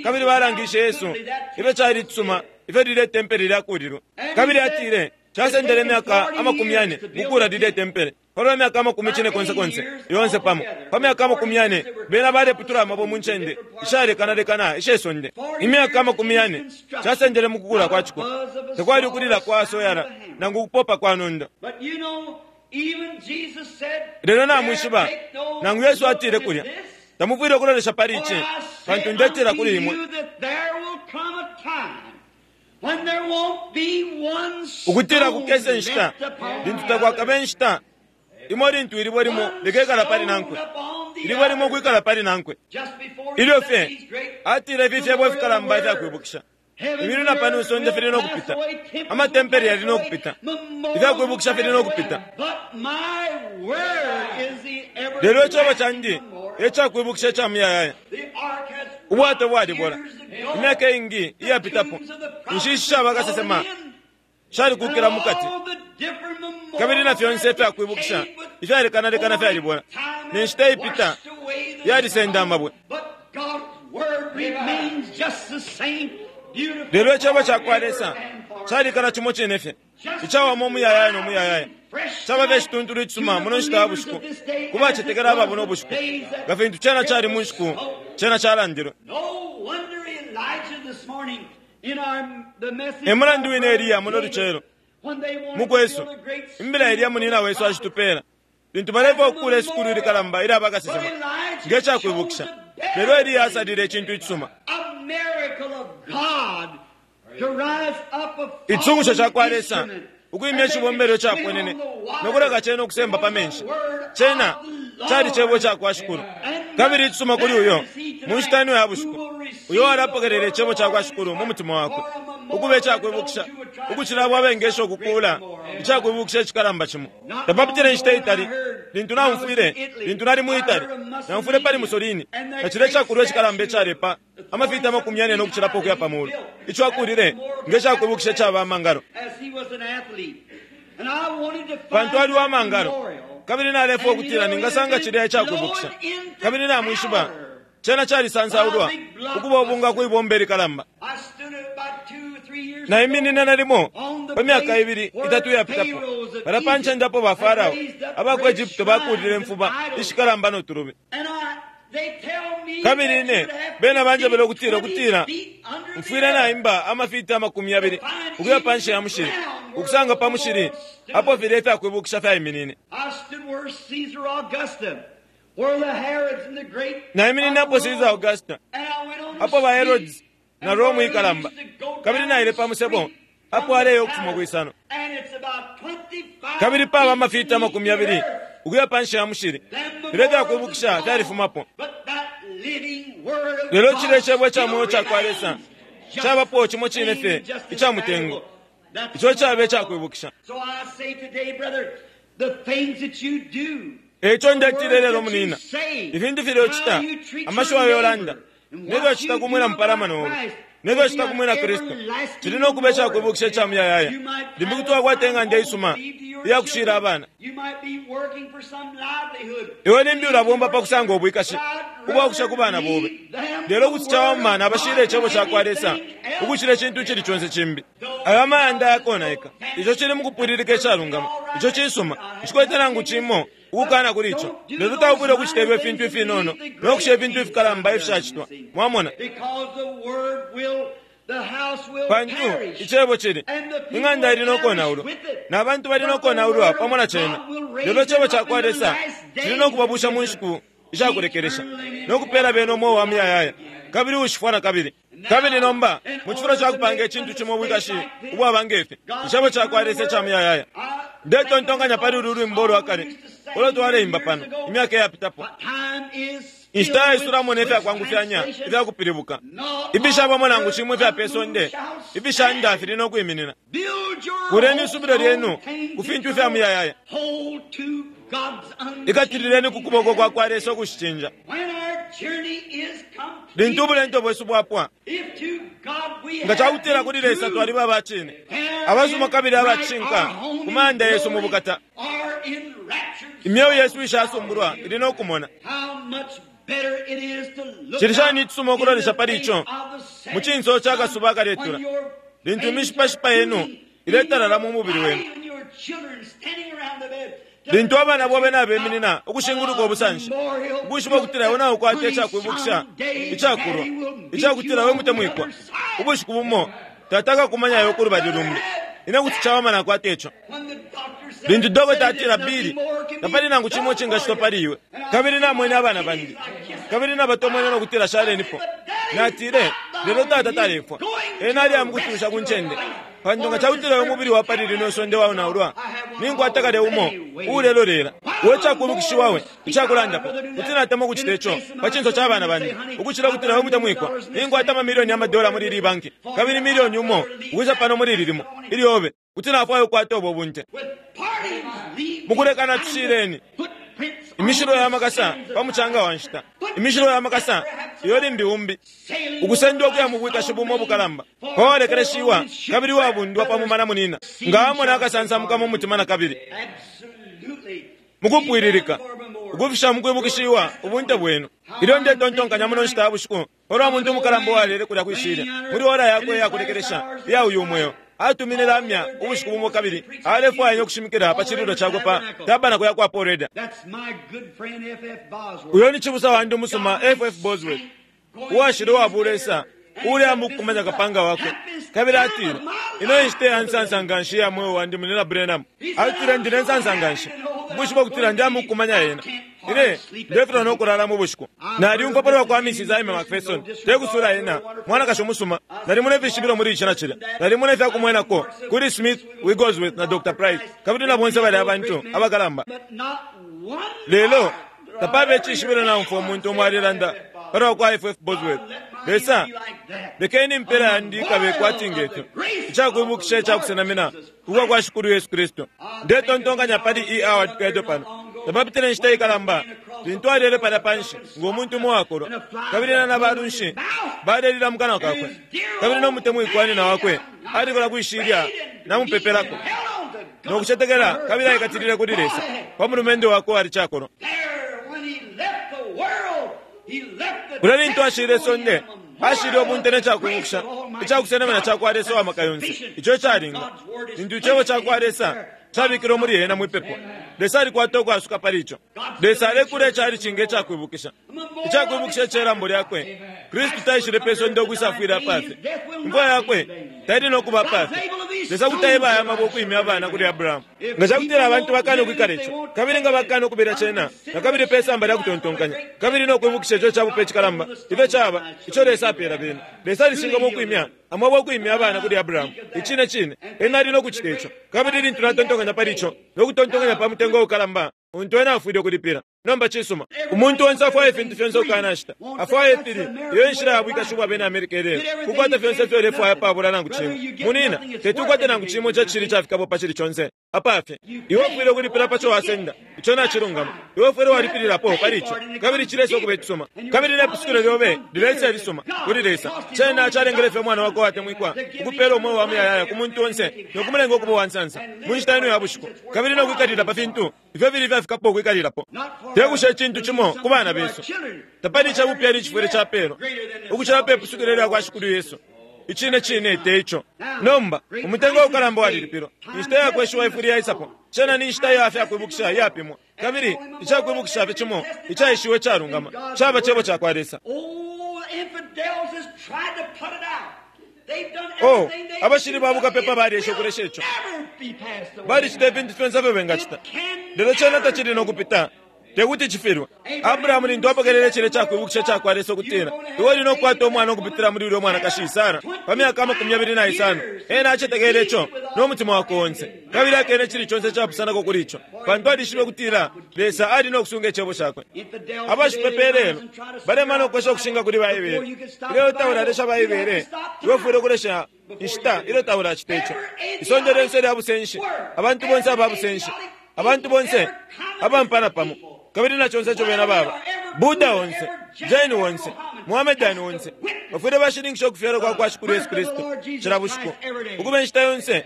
A: kabili balangishe Yesu ifyo cali cisuma ifyo lile tempele lyakulilwe. Kabili atile casendele imyaka amakumi yane mukula lile tempele, palwa myaka amakumi cine konse konse yonse pamo. Pa myaka amakumi yane bena baleputula amabwe mu ncende ishalekanalekana ishe sonde. Imyaka amakumi yane casendele mukukula kwa ciko, tekwali ukulila kwa soyala nangu ukupopa kwa nondo. Lelo namwishiba nangu Yesu atile kulya, tamufwile ukulolesha pali ici, pantu ndetela kuli imwe ukutila kukese nshita lintu takwakabe nshita imo lintu ilibwe limo likekala pali nankwe, ilibwe limo kwikala pali nankwe. Ilyo fye atile ifi fyebo ifikalamba ifyakwibukisha, imilimo na pano isonde fili nokupita, amatempele yali nokupita, ifyakwibukisha fili nokupita, lelo icebo candi ecakwibukisha ica muyayaya. Ubwato bwalibola imyaka ingi iyapitapo, inshishi shabakasesema shalikukila mukati, kabili na fyonse ifyakwibukisha Ifyalekana lekana fyalibola. Ne nshita ipita yalisenda amabwe. Lelo icebo cakwa Lesa calikala cimo cine fye, icawama umuyayaya no muyayaya. Caba fye cituntulu icisuma muno nshita ya bushiku ku bacetekela aba buno bushiku, nga fintu cena cali mu nshiku cena calandilwe. E mulandu wine Eliya muno lucelo mukwesu, imbila Eliya munina wesu acitupela lintu balefa okukula isukulu ilikalamba ilya bakasesema nge cakwibukisha. Lelo Eliya asalile icintu icisuma, icitungusho cakwa Lesa ukwimya icibombelo icaponene nokuleka cena ukusemba pa menshi. Cena cali cebo cakwa Shikulu. Kabili icisuma kuli uyo mu nshita ino ya bushiku, uyo walapokelela icebo cakwa Shikulu mu mutima wakwe ukuba icakwibukisha, ukucila abo abengesha ukukuula icakwibukisha icikalamba cimo. Tapapitile inshita itali lintu naumfwile, lintu nali mu Italy, naumfwile pali Mussolini na cilya icakulwa icikalamba icalepa amafiti amakumi yane nokucilapo ukuya pa mulu, ico akulile nge cakwibukisha icaba amangalo, pantu ali wa mangalo. Kabili nalefwa ukutila ningasanga cilya icakwibukisha, kabili namwishiba cena calisansaulwa ukuba ubunga kwibomba ilikalamba. Naiminina nalimo pa myaka ibili itatu iyapitapo pala pa ncende apo ba Farao aba ku Egypto bakulile imfuba ishikalamba no tulubi. Kabili ine bena banjebele ukutila ukutila mfwile naimba amafiti amakumi yabili ukuya panshi ya mushili, ukusanga pa mushili apo filya ifyakwibukisha fyaiminine. Naiminine apo Caesar Augusta, apo ba Herods na Rome ikalamba, kabili naile pa musebo apo aleya ukufuma kwisano. Kabili paba amafiti amakumi yabili ukuya panshi ya mushili, filya ifyakwibukisha fyalifumapo. Lelo cilya icebo ica mweo cakwa Lesa cabapo cimo cine fye ica mutengo, ico caba icakwibukisha. Eico ndetile lelo munina, ifintu filya ucita, amashiwi ayo ulanda, nelyo ucita ku mwina mupalamano obe, nelyo ucita ku mwina Kristu, cili nokuba icakwibukisha ica muyayaya. Limbi kuti wakwata ing'anda isuma iyakushila abana. Iwe limbi ulabomba pa kusanga ubwikashi ubwakusha ku bana bobe. Lelo kuti cawama nabashila icebo cakwa Lesa ukucila icintu icili conse cimbi. Ayo amayanda yakonaika, ico cili mukupwililika icalungama, ico cisuma, nshikwete nangu cimo ukukana kuli ico. Lelo taufwile ukucita ifyo ifintu ifinono nokusha ifintu ifikalamba ifishacitwa. Mwamona? Pantu icebo cili ing'anda ili nokonaulwa na bantu bali nokonaulwa pamo na cena. Lelo icebo cakwa Lesa cili nokubabusha mu nshiku ishakulekelesha nokupela bena umweo wa muyayaya, kabili ushifwa na kabili. Kabili nomba mu cifulo ca kupanga icintu cimo ubwikashi ubwaba ngefi, icebo cakwa Lesa ica muyayaya. Ndetontonkanya pali ulu lwimbo lwa kale ulo twaleimba pano imyaka iyapitapo. Inshita yaisulamo ne fyakwangufyanya ifyakupilibuka, ifishabamo nangu cimo ifya pe sonde ifishanda fili nokwiminina. Kuleni isubilo lyenu ku fintu ifya muyayaya, ikatilileni ku kuboko kwa kwa Lesa ukushicinja. Lintu ubulendo bwesu bwapwa, nga cakutila kuli Lesa twaliba abacine, abasuma kabili abacishinka ku mayanda yesu mu bukata, imyeo yesu ishasumbulwa ili nokumona. Cili shani icisuma ukulolesha pali ico mu cinso ca kasuba akaletula, lintu imishipashipa yenu iletalala mu mubili wenu, lintu abana bobe nabeminina ukushinguluka ubusanshi, ukwishiba ukutila iwe naukwata icakwibukisha icakulwa icakutila we mutemwikwa, ubushiku bumo tata akakumanya iwe kulubali lumbi. Ine kuti cawama nakwata ico. Lintu dokota atila Bili, tapali nangu cimo cingacitwa pali iwe, kabili namwene abana bandi, kabili nabatomwene nokutila shalenipo. Natile, lelo tata talefwa, ena ali amukutusha ku ncende, pantu nga cakutila uyo mubili wa pali lino isonde waonaulwa, ninkwata kale umo uulelolela we cakwibukishiwa we icakulandapo. Kuti natemwa ukucita ico pa cinso ca bana bandi ukucila ukutila we mutemwikwa, ninkwata amamilioni amadola muli ili banki, kabili milioni umo ukwisa pano muli ili limo ilyobe. Kuti nafwaya ukukwata ubo bunte. Mukulekana tushileni imishilo ya makasa pa mucanga wa nshita, imishilo ya makasa iyo limbi umbi ukusendwa ukuya mu bwikashi bumo ubukalamba, pawalekeleshiwa kabili wabundwa pa mumana munina, nga amona akasansamuka mu mutima na kabili. Mukupwililika ukufisha mukwibukishiwa ubunte bwenu. Ilyo ndetontonkanya muno nshita ya bushiku palwa muntu umukalamba uwalele kulya kwishilya muli ora yakwe iyakulekelesha iya uyu mweo, atumine lamya ubushiku bumo kabili alefwaya ukushimikila pa cililo cakwe pa tabanako ya kwa Paul Reda. Uyo ni cibusa wandi umusuma F F Bosworth, uwashile uwabulesa uli amukumanya kapanga wakwe, kabili atile, ino inshita ya nsansa nganshi ya mweo wandi munina Branham. Atile, ndine nsansa nganshi ubushiku bwakutila ndi amukumanya ena. Ine ndefilwa nokulala mu bushiku. Naliumfwa palwa kwa Missus Aimee McPherson, tekusula ena mwanakashi umusuma. Nalimona ifishibilo muli ici na cilya, nalimona ifyakumwenako kuli Smith Wigglesworth na Doctor Price, kabili na bonse bali abantu abakalamba. Lelo tapaba icishibilo naumfwa umuntu umo alilanda palwa kwa F F Bosworth. Lesa, lekeni impela yandi ikabe kwati ngefyo, icakwibukisha icakusenamina ukwa kwa Shikulu Yesu Kristu. Ndetontonkanya pali E Howard Cadle pano. Tapapitile inshita ikalamba lintu alele palya panshi ngo muntu umo wakolwa, kabili ena na balunshi balelila mu kanwa kakwe, kabili no mutemwikwanina wakwe alikola kwishilya namupepelako nokucetekela, kabili aikatilile kuli Lesa pa mulumendo wakwe ali cakolwa. Kulya lintu ashile isonde, ashile ubunte ne cakwibukisha icakusenamina cakwa Lesa uwamaka yonse, ico icalinga lintu icebo cakwa Lesa cabikilwe muli ena mwipepo. Lesa alikwata ukwasuka pali ico. Lesa alekula icali cinga icakwibukisha icakwibukisha icelambo lyakwe. Kristu taishile pe sonde ukwisafwila apafe, imfwa yakwe taili nokuba apafe. Lesa kuti aebaya amabwe ukwimya abana kuli Abrahamu. Nga cakutila abantu bakana ukwikala ico, kabili nga bakana ukubela cena nakabili pe samba lya kutontonkanya, kabili nokwibukisha ico cabupe icikalamba ifyo caba ico Lesa apela bena. Lesa alishingamo ukwimya amabwe ukwimya abana kuli Abrahamu. Icine cine ena ali nokucita ico. Kabili lintu natontonkanya pali ico nokutontonkanya pa mutengo ukalamba untu ena afwile ukulipila. Nomba cisuma, umuntu onse afwaya ifintu fyonse ukanashita, afwaya ifili. Iyo inshila ya bwikashi bwa bena Amerika ilelo, kukwata fyonse ifyo ulefwaya pabula nangu cimo. Munina, tetukwate nangu cimo ico cili cafikapo pa cili conse apafe. Iwe ufwile ukulipila paco wasenda, ico nacilungama. Iwe ufwile walipililapo pali ico, kabili cilesa ukuba icisuma, kabili nepusukilo lyobe lilesa ilisuma kuli Lesa. Cena calengele fye umwana wakwe watemwikwa ukupela umweo wa muyayaya ku muntu onse nokumulenga ukuba uwansansa mu nshita ino ya bushiku, kabili nokwikalila pa fintu ifyo fili fyafikapo ukwikalilapo. Tekusha icintu cimo ku bana besu. Tapali icabupyani icifwile capelwa ukucila pe pusukilo lya kwa Shikulu Yesu. Icine cine te ico. Nomba umutengo ukalamba walilipilwa, inshita yakweshiwa ifwile yaisapo. Cena ni inshita ya fyakwibukisha iyapimwa, kabili icakwibukisha fye cimo icaishiwe icalungama caba cebo cakwa Lesa. Oh, abashili babukapepa balyesha ukulesha ico, balicita ifintu fyonse ifyo bengacita, lelo cena tacili nokupita, tekuti cifilwe. Abrahamu lintu apokelele cile cakwibukisha cakwa Lesa ukutila iwe uli nokukwata umwana ukupitila muli ulya mwanakashi Sara pa myaka amakumi yabili na isano, ena acetekele ico nomutima wakwe onse, kabili akene cili conse capusanako kuli ico, pantu alishibe ukutila Lesa ali nokusunga icebo cakwe. Abashipepa ilelo balemana ukwesha ukushinga kuli Baibele. Ilyo taulalesha Baibele, iwe ufwile ukulesha inshita ilyo taulacita ico. Isonde lyonse lya busenshi, abantu bonse aba busenshi, abantu bonse abampana pamo, kabili na conse ico bena baba, Buddha onse, Jain onse, Muhammadani onse, bafwile bashininkisha ukufyalwa kwa kwa Shikulu Yesu Kristu cila bushiku, ukuba inshita yonse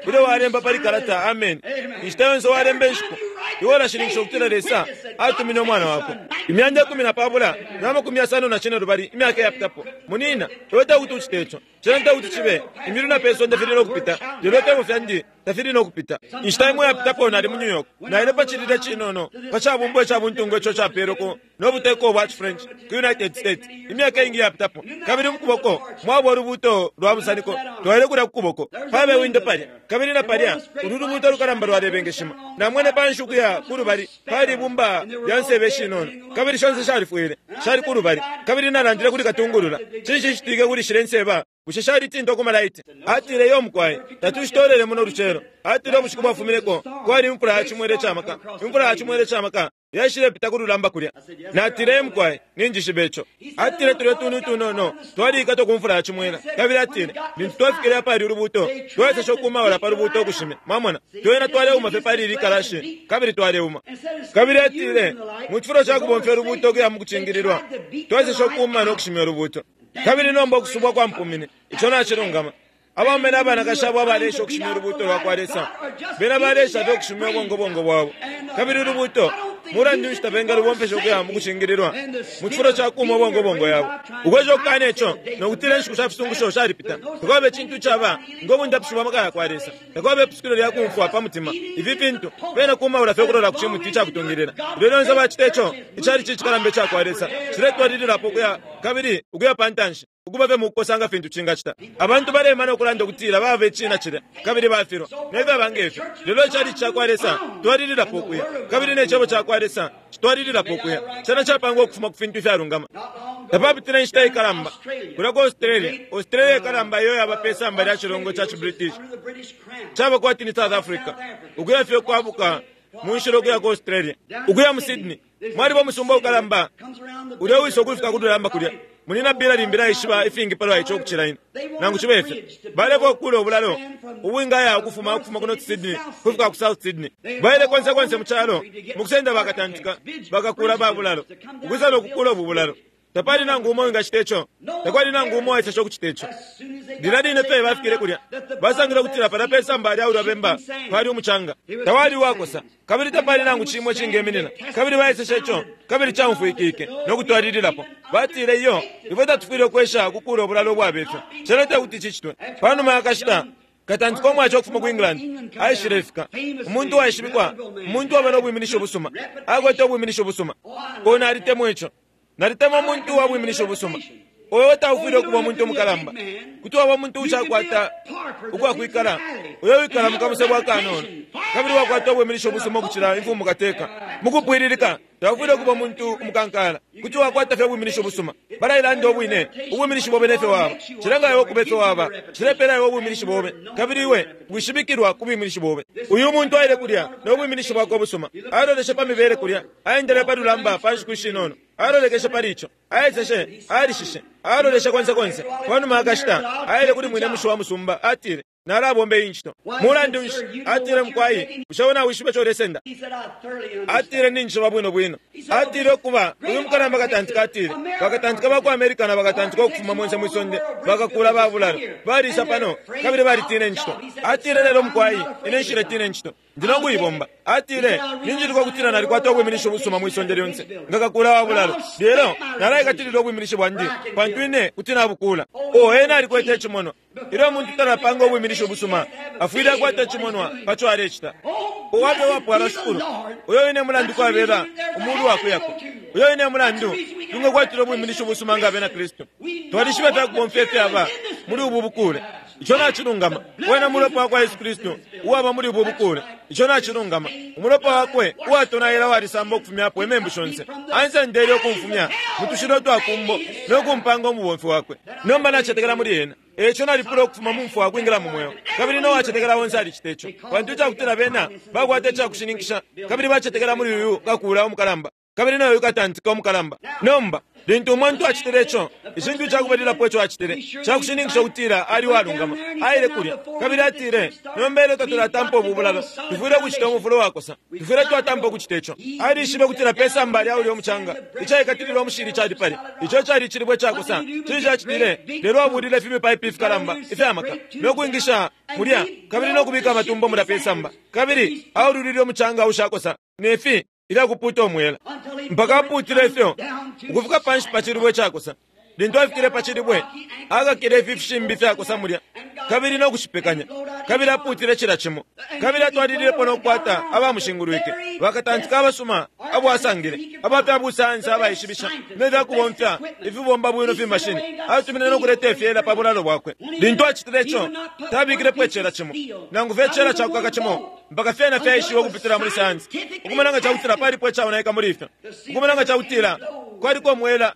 A: ilyo walemba pali kalata amen, inshita yonse walemba inshiku, iwe ulashininkisha ukutila Lesa atumine umwana wakwe. Imyanda ikumi na pabula na makumi yasano na cine lubali imyaka iyapitapo, munina, iwe tekuti ucite ico. Cena tekuti cibe imilu na pe sonde fili nokupita, lelo ifyebo fyandi tafili nokupita. Inshita imo iyapitapo nali mu New York, naile pa cilila cinono pa cabumbwa icabuntungu ico capelweko nobuteko bwa French ku United States imyaka ingi iyapitapo, kabili mukuboko mwaba ulubuto lwa busaniko twaile kulya kukuboko pabe windo palya, kabili na palya ulu lubuto lukalamba lwalebengeshima. Namwene panshi ukuya kulubali pali ibumba lya nsebe shinono, kabili shonse shalifwile shali kulubali, kabili nalandile kuli katungulula, cinshi citike kuli shile nseba? Bushe shalitintwa ku malaiti? Atile, yo mukwai, tatushitolele muno lucelo. Atile ubushiku bwafumineko kwali imfula ya cimwele camaka, imfula ya cimwele camaka yaishile pita kululamba kulya. Natile, mukwai, ninjishibe ico. Atile tulya tunu tunono twalikatwa ku mfula ya cimwela, kabili atile lintu twafikile apali ulubuto tweseshe ukumaula pa lubuto ukushimya. Mwamona, twena twaleuma fye pali ili kalashi, kabili twaleuma. Kabili atile mu cifulo ca kubomfya ulubuto ukuya mu kucingililwa, tweseshe ukuuma nokushimya ulubuto. Kabili nomba ukusubwa kwa mpumine, ico nacilungama. Abaume n'abanakashi abo abalesha ukushimya ulubuuto lwa kwa Lesa bena balesha fye ukushimya ubongobongo bwabo. Kabili ulubuuto mulandu nshi tabengalubomfesha ukuya mu kucingililwa mu cifulo ca kuuma ubongobongo yabo. Ukwesha ukukana ico nokutila inshiku sha fisungusho shalipita. Takwaba icintu icaba ngo bundapishi bwa maka ya kwa Lesa. Takwaba ipusukilo lya kumfwa pa mutima. Ifi fintu bena kumaula fye ukulola ku cimuti icakutungilila. Ilyo lyonse bacita ico, icalici icikalamba ica kwa Lesa ciletwalililapo ukuya kabili ukuya pa ntanshi, ukuba fye mu kukosa nga fintu cingacita. Abantu balemana ukulanda ukutila baba icina cilya kabili bafilwa nefyaba ngefyo. Lelo icalici ca kwa Lesa twalililapo ukuya, kabili ne cebo ca kwa Lesa citwalililapo ukuya. Cena capangwa ukufuma ku fintu ifyalungama. Tapapitile inshita ikalamba kulya ku Australia. Australia ikalamba iyo yaba pe samba lya cilongo ca ciBritish, caba kwati ni South Africa, ukuya fye ukwabuka mu nshila ukuya ku Australia, ukuya mu Sydney. Mwaliba umusumba ukalamba ulya wisa ukufika ku lulamba kulya. Munina bila limbi naishiba ifingi palwa ico ukucila ine. Nangu cibe ifyo, balefwaya ukukula ubulalo ubwingaya ukufuma ukufuma ku North Sydney kufika ku South Sydney. Baile konse konse mu calo mu kusenda bakatantika bakakula ba bulalo ukwisa no kukula ubu bulalo. Tapali nangu umo wingacita ico. Takwali nangu umo waisesha ukucita ico. Lilya line fye bafikile kulya, basangile ukutila palya pe samba lya ulya bemba pali umucanga. Tawali uwakosa, kabili tapali nangu cimo icingeminina. Kabili baiseshe ico, kabili caumfwikike no kutwalililapo. Batile iyo, ifwe tatufwile ukwesha ukukula ubulalo ubwaba ifyo. Cena tekuti cicitwe. Pa numa ya kashita, katantika umwaca ukufuma ku England aishilefika. Umuntu uwaishibikwa, umuntu uwaba no bwiminisho ubusuma, akwete ubwiminisho ubusuma. O, nalitemwa ico. Nalitemwa umuntu uwa bwiminisho ubusuma. Oyo taufwile ukuba umuntu umukalamba. Kuti waba umuntu ushakwata ukwakwikala, uyo wikala mu kamusebo akanono, kabili wakwata ubwiminisho ubusuma ukucila imfumu kateka. Mukupwililika, taufwile ukuba umuntu umukankala. Kuti wakwata fye ubwiminisho ubusuma. Balailanda ubwine, ubwiminisho bobe nefyo waba. Cilenga iwe ukuba ifyo waba. Cilepela iwe ubwiminisho bobe, kabili iwe wishibikilwa ku bwiminisho bobe. Uyu muntu aile kulya no bwiminisho bwakwe ubusuma. Aloleshe pa mibele kulya, aendele pa lulamba pa nshiku ishinono. Alolekeshe pali ico, aeseshe, alishishe, aloleshe konse konse. Pa numa akashita, aile kuli mwine mushi wa musumba, atile, nalabomba iyi ncito. Mulandu nshi? Atile, mukwai, bushe wena wishibe ico ulesenda? Atile, ninjishiba bwino bwino. Atile ukuba uyu mukalamba katantika, atile bakatantika ba ku America na bakatantika ukufuma monse mwisonde bakakula ba bulalo balisa pano kabili balitina incito. Atile, lelo mukwai, ine nshiletina incito, ndi no kuibomba. Atile, ninjiluka ukutila nalikwata ubwiminisho ubusuma mwisonde lyonse nga kakula wa bulalo, lelo nalaikatilila ubwiminisho bwandi pantu ine kuti nabukula. O, ena alikwete icimonwa. Ilyo umuntu talapanga ubwiminisho ubusuma, afwile akwata icimonwa paco alecita. Uwabe wapwala shukulu, uyo wine mulandu kwabela umulu wakuyako. Uyo wine mulandu tungakwatila ubwiminisho ubusuma nga abena Kristu. Twalishiba fyakubomfya ifyaba muli ubu bukule. Ico nacilungama. Wena mulopa wakwa Yesu Kristu uwaba muli ubu bukule. Ico nacilungama. Umulopa wakwe uwatonaila walisamba ukufumyapo imembu shonse. Ansendele ukumfumya mutushilo twakumbo no kumpanga umubomfi wakwe. Nomba nacetekela muli ena. Eco nalipula ukufuma mu mfwa kwingila mu mweo. Kabili no wacetekela onse alicita ico. Pantu icakutila bena bakwata icakushininkisha, kabili bacetekela muli uyu kakula umukalamba, kabili nayo katantika umukalamba. Nomba lintu umuntu acitile ico, icintu icakubalilapo ico acitile cakushininkisha ukutila ali walungama. Aile kulya kabili atile, nomba ilyo tatulatampa ubu bulalo, tufwile ukucita umufulo wakosa, tufwile twatampa ukucita ico. Alishibe ukutila pe samba lya ulya umucanga icaikatililwa umushili cali pali ico cali icilibwe cakosa. Cili cacitile, lelo abulile fimipaipi ifikalamba ifyamaka no kwingisha mulya kabili no kubika amatumbo mulya pe samba, kabili aululile umucanga ushakosa nefi ilyakuputa umwela mpaka aputile ifyo ukufika panshi pa cilibwe cakosa. Lintu afikile pa cilibwe, akakile ifi fishimbi fyakosa mulya kabili no kushipekanya, kabili aputile cila cimo, kabili atwalililepo no kukwata abamushingulwike bakatantika abasuma abo asangile abapya busayansi abaishibisha ne fyakubomfya ifibomba bwino fimashini. Atumine no kuleta ifyela pa bulalo bwakwe. Lintu acitile ico, tabikilepo icela cimo nangu fye icela cakukaka cimo mpaka fyena fyaishiwe ukupitila muli sayansi, ukumona nga cakutila palipo icaonaika muli ifyo, ukumona nga cakutila kwaliko umwela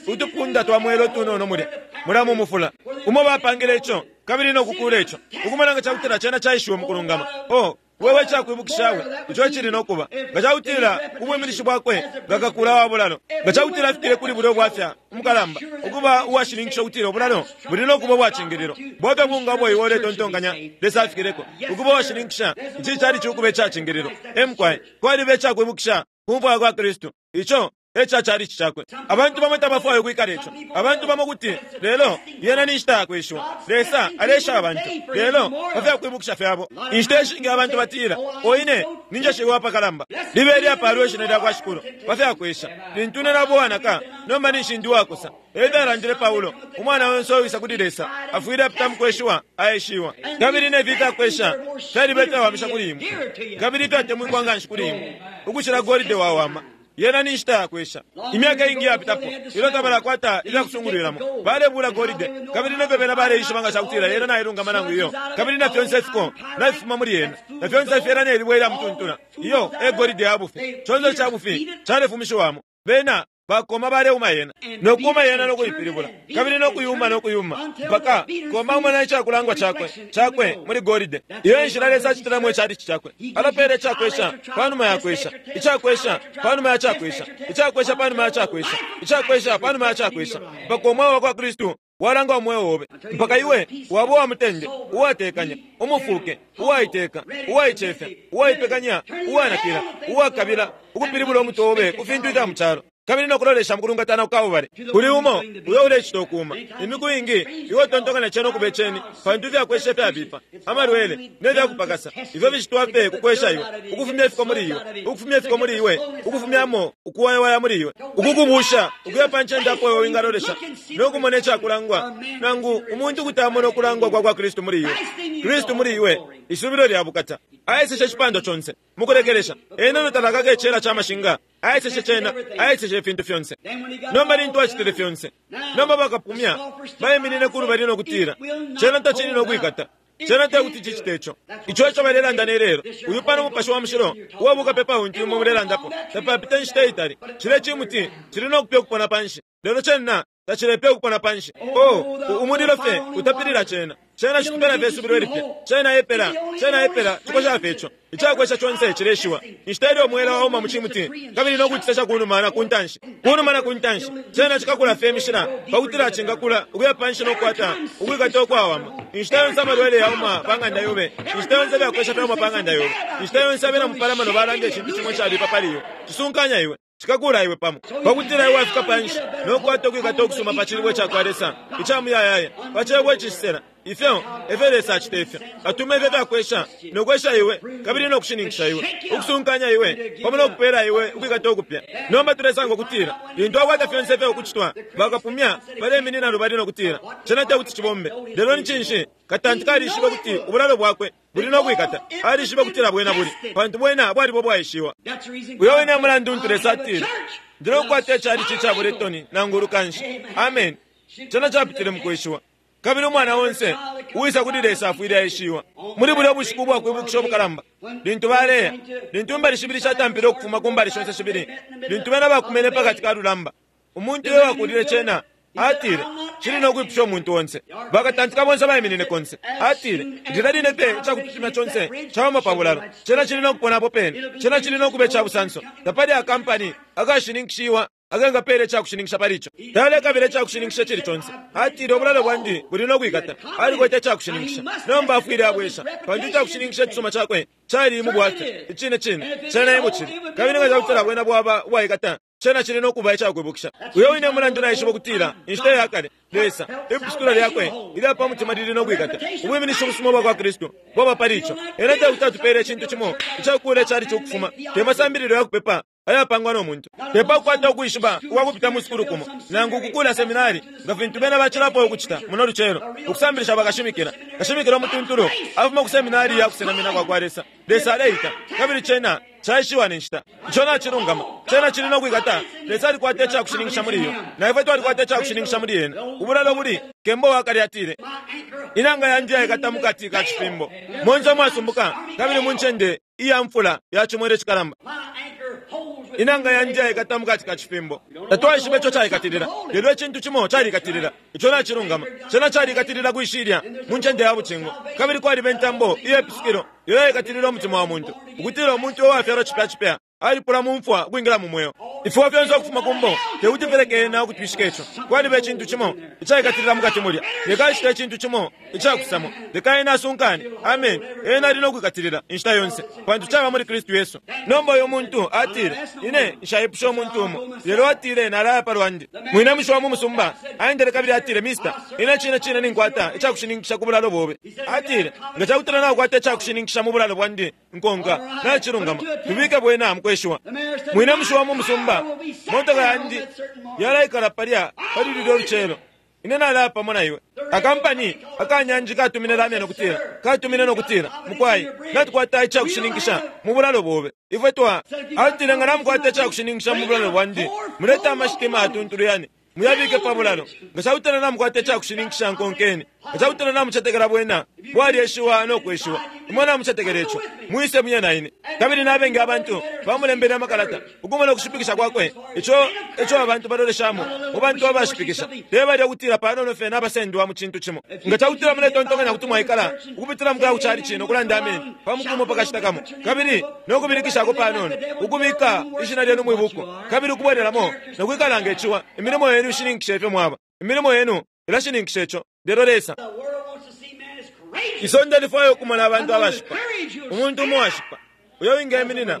A: utupunda twa mwela utunono mulya mulya mu mufula umo bapangile ico kabili no kukula ico, ukumona nga cakutila cena caishiwe mukulungama. O wewe cakwibukishawe ico cili no kuba nga cakutila ubwiminishi bwakwe nga kakula wa bulalo, nga cakutila afikile kuli bulyo bwafya umukalamba ukuba uwashininkisha ukutila ubulalo buli no kuba ubwacingililo bwafya bunga bwo iwe uletontonkanya Lesa afikileko ukuba uwashininkisha ici cali cikuba icacingililo. Emkwai kwaliba icakwibukisha ku mfwa kwa Kristu ico Eca chalichi chakwe. Abantu bamo tabafwayo kwikala ico. Abantu bamo kuti lelo yena ni nshita yakweshiwa. Lesa alesha abantu lelo bafyakwibukisha fyabo. Inshita ishingi abantu batila oine ninjeshiwa apakalamba libe lyapalwe ishina lya kwa Shikulu bafyakwesha lintu ne nabo wanaka nomba ninshi ndi wakosa. Efyalandile Paulo, umwana wonse uwisa kuli Lesa afwile apita mukweshiwa aeshiwa. Kabili nefi ifyakwesha fyalibe fyawamisha kuli imwe, kabili ifyatemwikwa nganshi kuli imwe ukucila golide wawama. Yena ni nshita yakwesha. Imyaka ingi yapitapo ilyo tabalakwata ifyakusungulwilamo balebula golide, kabili nefyo bena baleishiba nga cakutila yena nailungama nangu iyo, kabili na fyonse ifiko nafifuma muli yena, na fyonse fyena nelibwe ilya mutuntula iyo e golide ya bufi. Conse ca bufi calefumishiwamo. Bena bakoma baleuma yena nokuma yena nokuipilibula kabili nokuyuma nokuyuma mpaka koma umona icakulangwa chakwe chakwe muli golide. Iyo inshila Lesa acitilamo icalichi chakwe. Alapele icakwesha panuma yakwesha, icakwesha panuma yacakwesha, icakwesha panuma yacakwesha, icakwesha panuma yacakwesha, mpaka umweo wa kwa Kristu walanga umweo obe, mpaka iwe waba uwa mutende, uwatekanya, umufuke, uwaiteka, uwaicefya, uwaipekanya, uwanakila, uwakabila ukupilibula umutwe obe ku fintu ifya mu calo, kabili nokulolesha mukulungatana kukabubale kuli umo uyo ulecita ukuma. Imiku ingi iwe utontokanya cena ukuba iceni, pantu ifyakwesha ifyabipa, amalwele nefyakupakasa ifyo ficitwa fye kukwesha iwe, ukufumya ifiko muli iwe, ukufumya ifiko muli iwe, ukufumyamo ukuwayawaya muli iwe, ukukubusha ukuya pa ncende apo iwe wingalolesha nokumona icakulangwa, nangu umuntu kuti amona ukulangwa kwa kwa Kristu muli iwe. Kristu muli iwe, isubilo lya bukata. Aeseshe icipandwa conse mukulekelesha ena notalakaka icela ca mashinga, aeseshe cena, aeseshe ifintu fyonse. Nomba lintu acitile fyonse, nomba bakapumya baiminine kulubali nokutila cena tacili nokwikata, cena tekuti cicite ico. Ico eco balelanda nelelo. Uyu pano Mupashi wa Mushilo uwabukapepa untu imwe mulelandapo tapapita inshita itali, cile cimuti cili nokupya ukupona panshi, lelo cena tacilepya ukupona panshi. Oh, umulilo fye utapilila cena. Cena citupela fye isubilo ilipya. Cena epela, cena epela cikosha fye ico. Icakwesha conse cileshiwa. Inshita ilyo umwela wauma mu cimuti kabili nokucisesha kunuma na kuntanshi, kunuma na kuntanshi, cena cikakula fye imishila pakutila cingakula ukuya panshi nokukwata ukwikata ukwawama. Inshita yonse amalwele yauma pa ng'anda yobe, inshita yonse ifyakwesha fyauma pa ng'anda yobe, inshita yonse abena mupalamano balanda icintu cimo icabipa pali iwe, cisunkanya iwe, cikakula iwe pamo pakutila iwe wafika panshi nokukwata ukwikata ukusuma pa cilibwe cakwa Lesa icamuyayaya, pa cebo icisela. Ifyo efyo Lesa acita ifyo atuma ifyo fyakwesha nokwesha iwe kabili nokushininkisha iwe, ukusunkanya iwe pamo nokupela iwe ukwikata ukupya. Nomba tulesanga ukutila lintu akwata fyonse ifyo ukucitwa, bakapumya baleminina lubali nokutila cena tekuti cibombe. Lelo ni cinshi? Katanti kalishiba ukuti ubulalo bwakwe buli nokwikata. Alishiba ukutila bwena buli, pantu bwena bwalibo bwaishiwa. Uyo wine mulandu untu Lesa atile ndinokukwata icalichi icabuletoni nangu ulukanshi. Amen. Cena capitile mukweshiwa. Kabili umwana wonse uwisa kuli Lesa afwile aeshiwa. Muli bulya bushiku ubwakwibukisha ubukalamba, lintu baleya, lintu imbali shibili shatampile ukufuma ku mbali shonse shibili, lintu bena bakumene pakati ka lulamba, umuntu uyo wakulile cena atile cili nokwipusha umuntu onse. Bakatantika bonse baiminine konse. Atile lilya line fye icakututumya conse cawama pa bulalo, cena cili nokupona pene, cena cili nokuba icabusanso. Tapali akampani akashininkishiwa akengapela icakushininkisha pali ico. Talekabila icakushininkisha icili conse. Atile ubulalo bwandi buli nokwikata. Alikwete icakushininkisha. Nomba afwile abwesha, pantu icakushininkisha icisuma cakwe cali mu bwafya. Icine cine cena emucili, kabili nga cakutila bwena bwaba ubwaikata, cena cili nokuba icakwibukisha. Uyo wine mulandu naishiba ukutila inshita yakale Lesa ipusukilo lyakwe ilya pa mutima lili nokwikata. Ubwiminishi ubusuma bwa kwa Kristu bwaba pali ico. Ena tekuti atupele icintu cimo icakukula icali cokufuma, te masambililo ya kupepa ayapangwa no muntu, tepakukwata ukwishiba ukwakupita mu sukulu kumo nangu ukukula seminari nga fintu bena bacilapo ukucita muno lucelo, ukusambilisha bakashimikila. Kashimikila umutuntulu afuma ku seminari ya kusenamina kwa kwa Lesa. Lesa aleita, kabili cena caishiwa ne nshita. Ico nacilungama, cena cili nokwikata. Lesa alikwata icakushininkisha muli iyo, na ifwe twalikwata icakushininkisha muli yena. Ubulalo buli kembo wakale atile, inanga yandi yaikata mukati ka cifimbo, monse mwasumbuka kabili mu ncende iya mfula ya cimwele cikalamba. Inanga yandi yaikata mukati ka cifimbo. Tatwaishiba ico caikatilila, lelo icintu cimo calikatilila. Ico nacilungama, cena calikatilila kwishilya mu ncende ya bucingo, kabili kwaliba intambo iye pisukilo iyo yaikatilila umutima wa muntu, ukutila umuntu uwafyalwa cipya cipya Alipula mu mfwa ukwingila mu mweo. Ifiwa fyonse ukufuma kumbo tekuti fileke ena ukutwishika ico. Kwaliba icintu cimo icaikatilila mukati mulya. Leka acite icintu cimo icakusamo. Leka ena asunkane. Amen. Ena ali nokwikatilila inshita yonse, pantu caba muli Kristu Yesu. Nomba uyo muntu atile, ine nshaipusha umuntu umo, lelo atile nalaya palwandi. Mwine mushi wa mu musumba aendele kabili atile, Mister, ine cine cine ninkwata icakushininkisha ku bulalo bobe. Atile, nga cakutila nakukwata icakushininkisha mu bulalo bwandi nkonka nacilungama, tubike bwena mukweshiwa. Mwine mushi wa mu musumba, motoka yandi yalaikala palya pali lulyo lucelo. Ine nalaya pamo na iwe. Akampani akanyanji katumine lamya nokutila, katumine nokutila, mukwai natukwata icakushininkisha mu bulalo bobe. Ifwe twa atile nga namukwata icakushininkisha mu bulalo bwandi, muleta amashitima atuntulu yane muyabike pa bulalo. Nga cakutila namukwata icakushininkisha nkonkeni, nga cakutila namucetekela bwena bwalyeshiwa nokweshiwa, imwe namucetekela ico, mwise muye na ine. Kabili nabengi abantu bamulembele amakalata ukumona ukushipikisha kwakwe, ico ico abantu baloleshamo mu bantu abashipikisha tebalya kutila panono fye nabasendwa mu cintu cimo. Nga cakutila muletontonkanya kuti mwaikala ukupitila mukuya kucali cino ukulanda ameni pamukumo pakashita kamo, kabili nokubilikishako panono ukubika ishina lyenu mwibuku, kabili ukubwereramo nokwikala ngeciwa, imilimo yenu ishininkisha ifyo mwaba. Imilimo yenu ilashininkisha ico. Lelo Lesa isonde lifwayo okumona abantu abashipa, umuntu umo washipa uyo wingeminina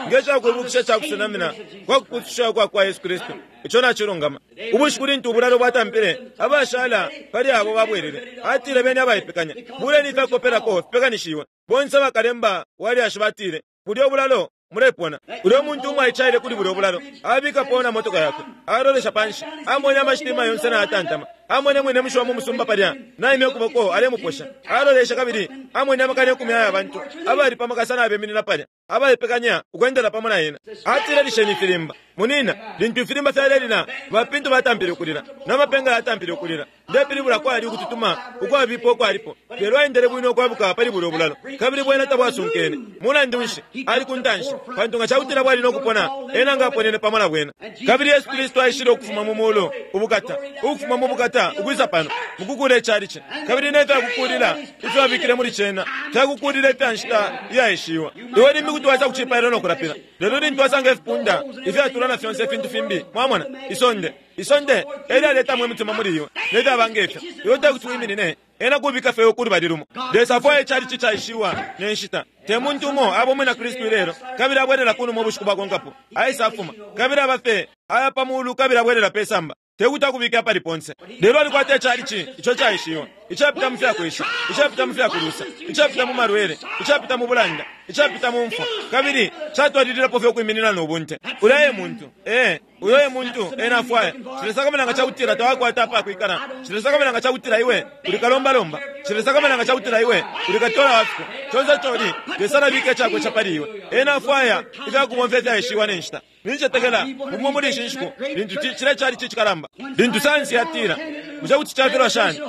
A: ngecakwibukisha cakusenamina kwa kupususha kwa kwa Yesu Kristu. Ico nacilungama. Ubushiku lintu ubulalo bwatampile, abashala pali abo babwelele. Atile beni abaipekanya, buleni ifyakopelako fipekanishiwe. Bonse bakalemba walyashi batile, bulyo bulalo mulepona. Ulyo muntu umwe aicaile kuli bulyo bulalo, abikapo na motoka yakwe, alolesha panshi, amwene amashitima yonse nayatantama, amwene mwine mushi wa mu musumba palya naimye ukuboko alemuposha. Alolesha kabili amwene amakana ikumi aya bantu abali pamakasa nabeminina palya abaipekanya ukwendela pamo na ena. Atile lisheni ifilimba. Munina, lintu ifilimba fyalelila, bapintu batampile ukulila, n'amapenga yatampile ukulila. Ndepilibula kwali ukututuma ukwabipa ukwalipo, lelo aendele bwino ukwabuka pali bulyo bulalo, kabili bwena tabwasunkene. Mulandu nshi ali kuntanshi, pantu nga cakutila bwali nokupona, ena nga aponene pamo na bwena. Kabili Yesu Kristu aishile ukufuma mu mulu ubukata, ukufuma mu bukata ukwisa pano mukukula icalici, kabili nefyakukulila ifyo abikile muli cena fyakukulila ifya nshita iyaishiwa. Iwe limbi kuti waisa kucipailo nokulapila, lelo lintu wasanga ifipunda ifyatula na fyonse ifintu fimbi, mwamona isonde isonde elyaletamo imitima muli iwe nefyabanga ifyo, iwe tekuti wiminine ena kubika fye ukulubali lumo. Lesa afwaya icalici caishiwa ne nshita. Te muntu umo aba umwina Kristu ilelo, kabili abwelela kunuma ubushiku bwakonkapo, aisa afuma, kabili aba fye aya pa mulu kabili abwelela pe samba. Tekuti akubike apali ponse. Lelo alikwata icalici ico caishiwa, icapita mu fyakwesha, icapita mu fyakulusa, icapita mu malwele, icapita mu bulanda, icapita mu mfwa, kabili catwalililapo fye ukwiminina nobunte. Ulya e muntu, eh, uyo e muntu ena afwaya. Cilesakamana nga cakutila tawakwata apakwikala. Cilesakamana nga cakutila iwe uli kalombalomba. Cilesakamana nga cakutila iwe uli katola wafiko. Conse coli Lesa alabika icakwesha pali iwe. Ena afwaya ifyakubomfya ifyaishiwa ne nshita. Nincetekela bumwe muli ishi nshiku lintu cile calici cikalamba, lintu sayansi yatila bushe kuti cafilwa shani,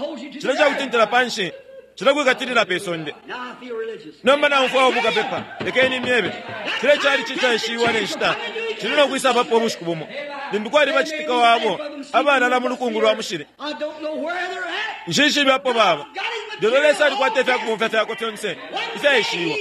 A: cile cakutintila panshi, cile kwikatilila pe sonde. Nomba naumfwa ubukapepa, lekeni myebe, cile calici caishiwa ne nshita cili nokwisa papo ubushiku bumo lintu kwali bacitika wabo abalala mu lukungu lwa mushili. Nshishibe apo baba, lelo Lesa alikwata ifyakubomfya fyakwe fyonse ifyaishiwa.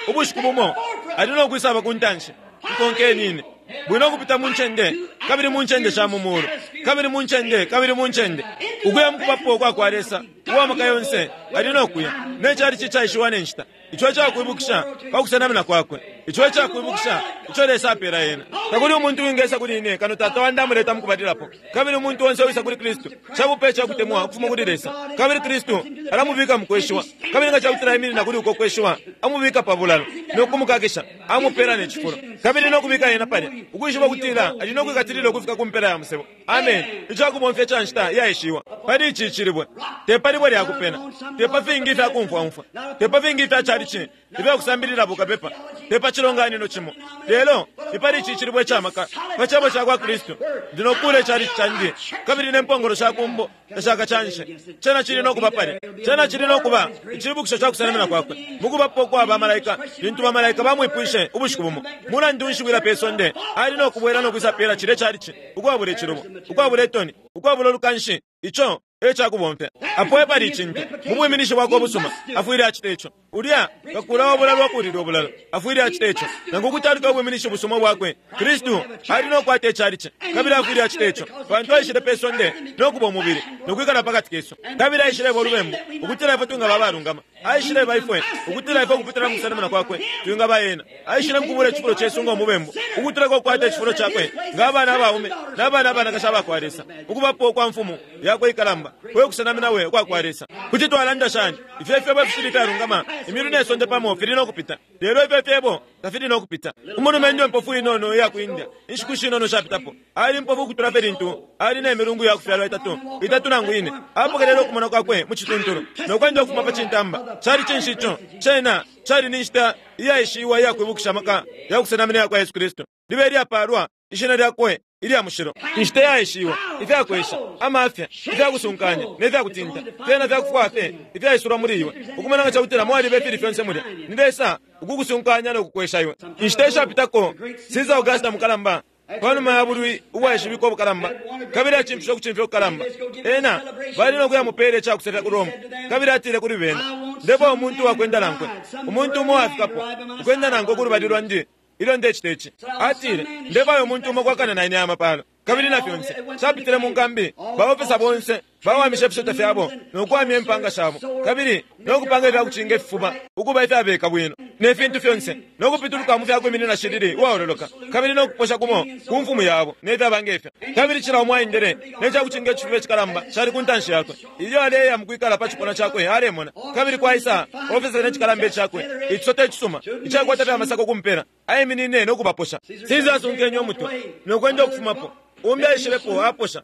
A: Ubushiku bumo ali nokwisaba ku ntanshi, nkonkeni ine bwino kupita mu ncende, kabili mu ncende sha mu mulu, kabili mu ncende, kabili mu ncende, ukuya mukubapo kwa kwa Lesa uwa maka yonse ali nokuya ne calici caishiwa ne nshita. Ico cakwibukisha pa kusenamina kwakwe, ico cakwibukisha ico Lesa apela ena. Takuli umuntu wingesa kuli ine kano Tata wandi amuleta mukubalilapo. Kabili umuntu onse wisa kuli Kristu cabupe cakutemwa ukufuma kuli Lesa, kabili Kristu alamubika mukweshiwa, kabili nga cakutila iminina kuli uko kweshiwa, amubika pa bulalo nokumukakisha, amupela ne cifulo, kabili nokubika ena palya ukwishiba kutila ali nokwikatilila ukufika ku mpela ya musebo. Amen. Icakubomfya ca nshita iyaishiwa pali ici cilibwe, te pa libwe lyakupena, te pa fingi ifyakumfwaumfwa, te pa fingi ifya calici ifyakusambilila bukapepa, te pa cilonganino cimo, lelo ipali ici cilibwe camaka pa cebo ca kwa Kristu. Ndinokula icalici candi, kabili ne mpongolo sha kumbo tashaka canshe. Cena cili nokuba palya, cena cili nokuba icibukisho ca kusenamina kwakwe mukubapo kwa bamalaika. Lintu bamalaika bamwipwishe ubushiku bumo, mulandu nshi wila pe sonde, ali nokubwela nokwisa pela cile calici ukwabula icilubo, ukwabula itoni, ukwabula ulukanshi. Ico ecakubomfya apo epali icintu mu bwiminishi bwakwe ubusuma afwile acita ico ulya kakula obulalo akulile obulalo afwile acita ico nangu ukutaluka ubwiminishi busuma bwakwe Kristu ali nokukwata icalici kabili afwile acita ico pantu aishile pe sonde nokuba umubili nokwikala pakati kesu kabili aishileba olubembu ukutila ifwe twingaba abalungama aishileba ifwe ukutila ifwe ukupitila mu kusenamina kwakwe twingaba ena aishile mukubula icifulo cesu nga omubembu ukutila kokukwata icifulo cakwe nga abana abaume n'abana abanakashi abakwa Lesa ukubapo kwa mfumu yakwe ikalamba kwe kusenamina we ukwakwa Lesa kuti twalanda shani ifyo ifyebo ifishili fyalungama imilu nesonde pamo fili nokupita lelo ifyo fyebo tafili nokupita umulume impofu inono iya ku India inshiku shinono shapitapo ali impofu ukutula fye lintu ali nemilungu ya kufyalwa itatu itatu nangu ine apokelele okumona kwakwe mu cituntulu nokwenda ukufuma pa cintamba cali cinshi ico cena cali ni nshita iyaishiwa iyakwibukisha amaka ya kusenamina yakwa Yesu Kristu libe lyapalwa ishina lyakwe ilya mushilo inshita yaishiwa ifyakwesha amafya ifyakusunkanya nefyakutinta fyena fyakufwa fye ifyaisulwa muli iwe ukumona nga cakutila mwaliba ifili fyonse mulya ni Lesa ukukusunkanya nokukwesha iwe inshita ishapitako Caesar Augusta mukalamba panuma ya bulwi ubwaishibikwa obukalamba kabili acimfisha okucimfya okukalamba ena bali nokuyamupeela ecakusefya ku Roma kabili atile kuli bena ndefwa umuntu wakwenda nankwe umuntu umo wafikapo ukwenda nankwe kulubali lwandi ilyo ndecita ici atile ndefwayo umuntu umo kwakana na ine amapalo kabili na fyonse capitile mu nkambi baofisa bonse bawamisha ifisota fyabo nokuwamya impanga shabo kabili nokupanga ifyakucinga ififuba ukuba ifyabeka bwino ne fintu fyonse nokupituluka mu fyakwiminina shilili uwaololoka kabili nokuposha kumo ku mfumu yabo nefyaba ngefyo kabili cila umo aendele necakucinga icifuba icikalamba cali ku ntanshi yakwe ilyo aleya mukwikala pa cipuna cakwe alemona kabili kwaisa ofisa necikalamba icakwe icisota icisuma icakwata fyamasako kumpela aiminine nokubaposha Caesar asunkenye omutwe nokwenda okufumapo umbi aishilepo aposha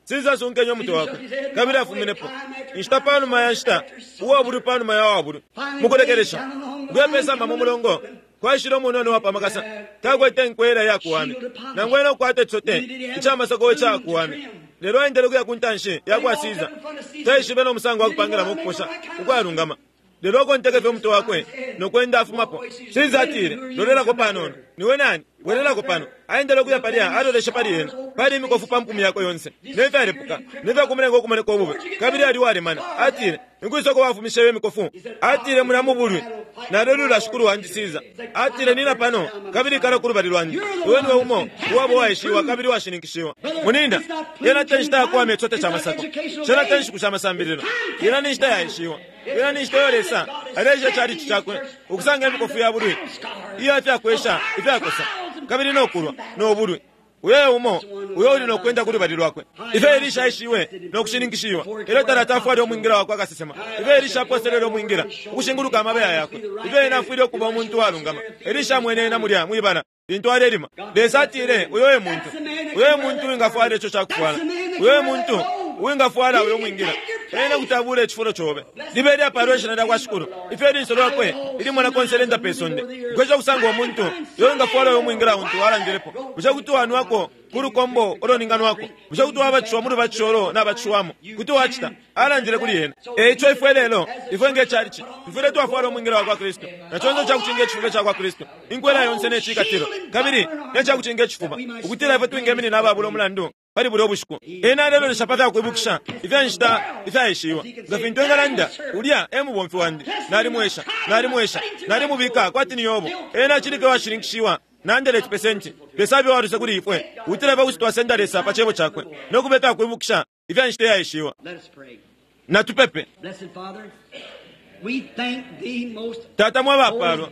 A: Caesar asunkenye omutwe wakwe kabili afuminepo inshita panuma ya nshita uwabulwi panuma ya wabulwi mukulekelesha ukuya pesamba mu mulongo kwaishile omunono wapamakasa takwete nkwela iyakuwamya nangu ena okukwata icisote icamasako icakuwamya lelo aendele ukuya ku ntanshi yakwa Caesar taishibe nomusango wakupangilamo okuposha ukwalungama lelo okonteke fye omutwe wakwe nokwenda afumapo Caesar atile lolelako panono niwe nani bwelelako pano aendele ukuya palya aloleshe pali ena pali imikofu pa mpumi yakwe yonse nefyalepuka nefyakumulenga okumoneka obube kabili ali walemana atile nikwisoko wafumisheyo imikofu atile muna mubulwi nalelula shikulu wandi Caesar atile nina pano kabili ikala kulubali lwandi iwe niwe umo uwabo waishiwa kabili washininkishiwa muninda yena te nshita yakuwamya icisote ca masako cena te nshiku sha masambililo yena ni nshita yaishiwa yena ni nshita iyo Lesa aleisha icalici cakwe ukusanga imikofu ya bulwi iyo ifyakwesha ifyakosa kabili nokulwa nobulwi uyo umo uyo uli nokwenda kulubali lwakwe ifyo Elisha aishiwe nokushininkishiwa elyo talata afwale omwingila wakwe akasesema ifyo Elisha aposelele omwingila ukushinguluka amabeya yakwe ifyo ena afwile okuba omuntu walungama Elisha amwene ena mulya mwibala lintu alelima Lesa atile uyo e muntu uyo e muntu wingafwala ico cakufwala uyo e muntu uwingafwala uyo mwingila ena kuti abule icifulo cobe libe lyapalwa ishina lyakwa Shikulu ifyo ilinso lwakwe ilimona konse lenda pe sonde ukwesha kusanga omuntu uyo wingafwala uyo mwingila untu walandilepo bushe kuti wanwako ku lukombo oloninganwako bushe kuti wabatishiwa mu lubatisho olo nabatishiwamo kuti wacita alandile kuli ena eico ifwe lelo ifwe ngecalici tufwile twafwala omwingila wakwa Kristu na conse icakucinga icifuba icakwa Kristu inkwela yonse necikatilo kabili necakucinga icifuba ukutila ifwe twingeminina ababula omulandu pali bulya obushiku ena alelolesha pa fyakwibukisha ifya nshita ifyaishiwa nga fintu engalanda ulya e mubomfi wandi nalimwesha nalimwesha nalimubika kwati ni Yobo ena acilike washininkishiwa nandele chipesenti Lesa abe waluse kuli ifwe ukutila ifwe kuti twasenda Lesa pa cebo cakwe nokuba ifyakwibukisha ifya nshita iyaishiwa natupepe Tata mwe bapalwa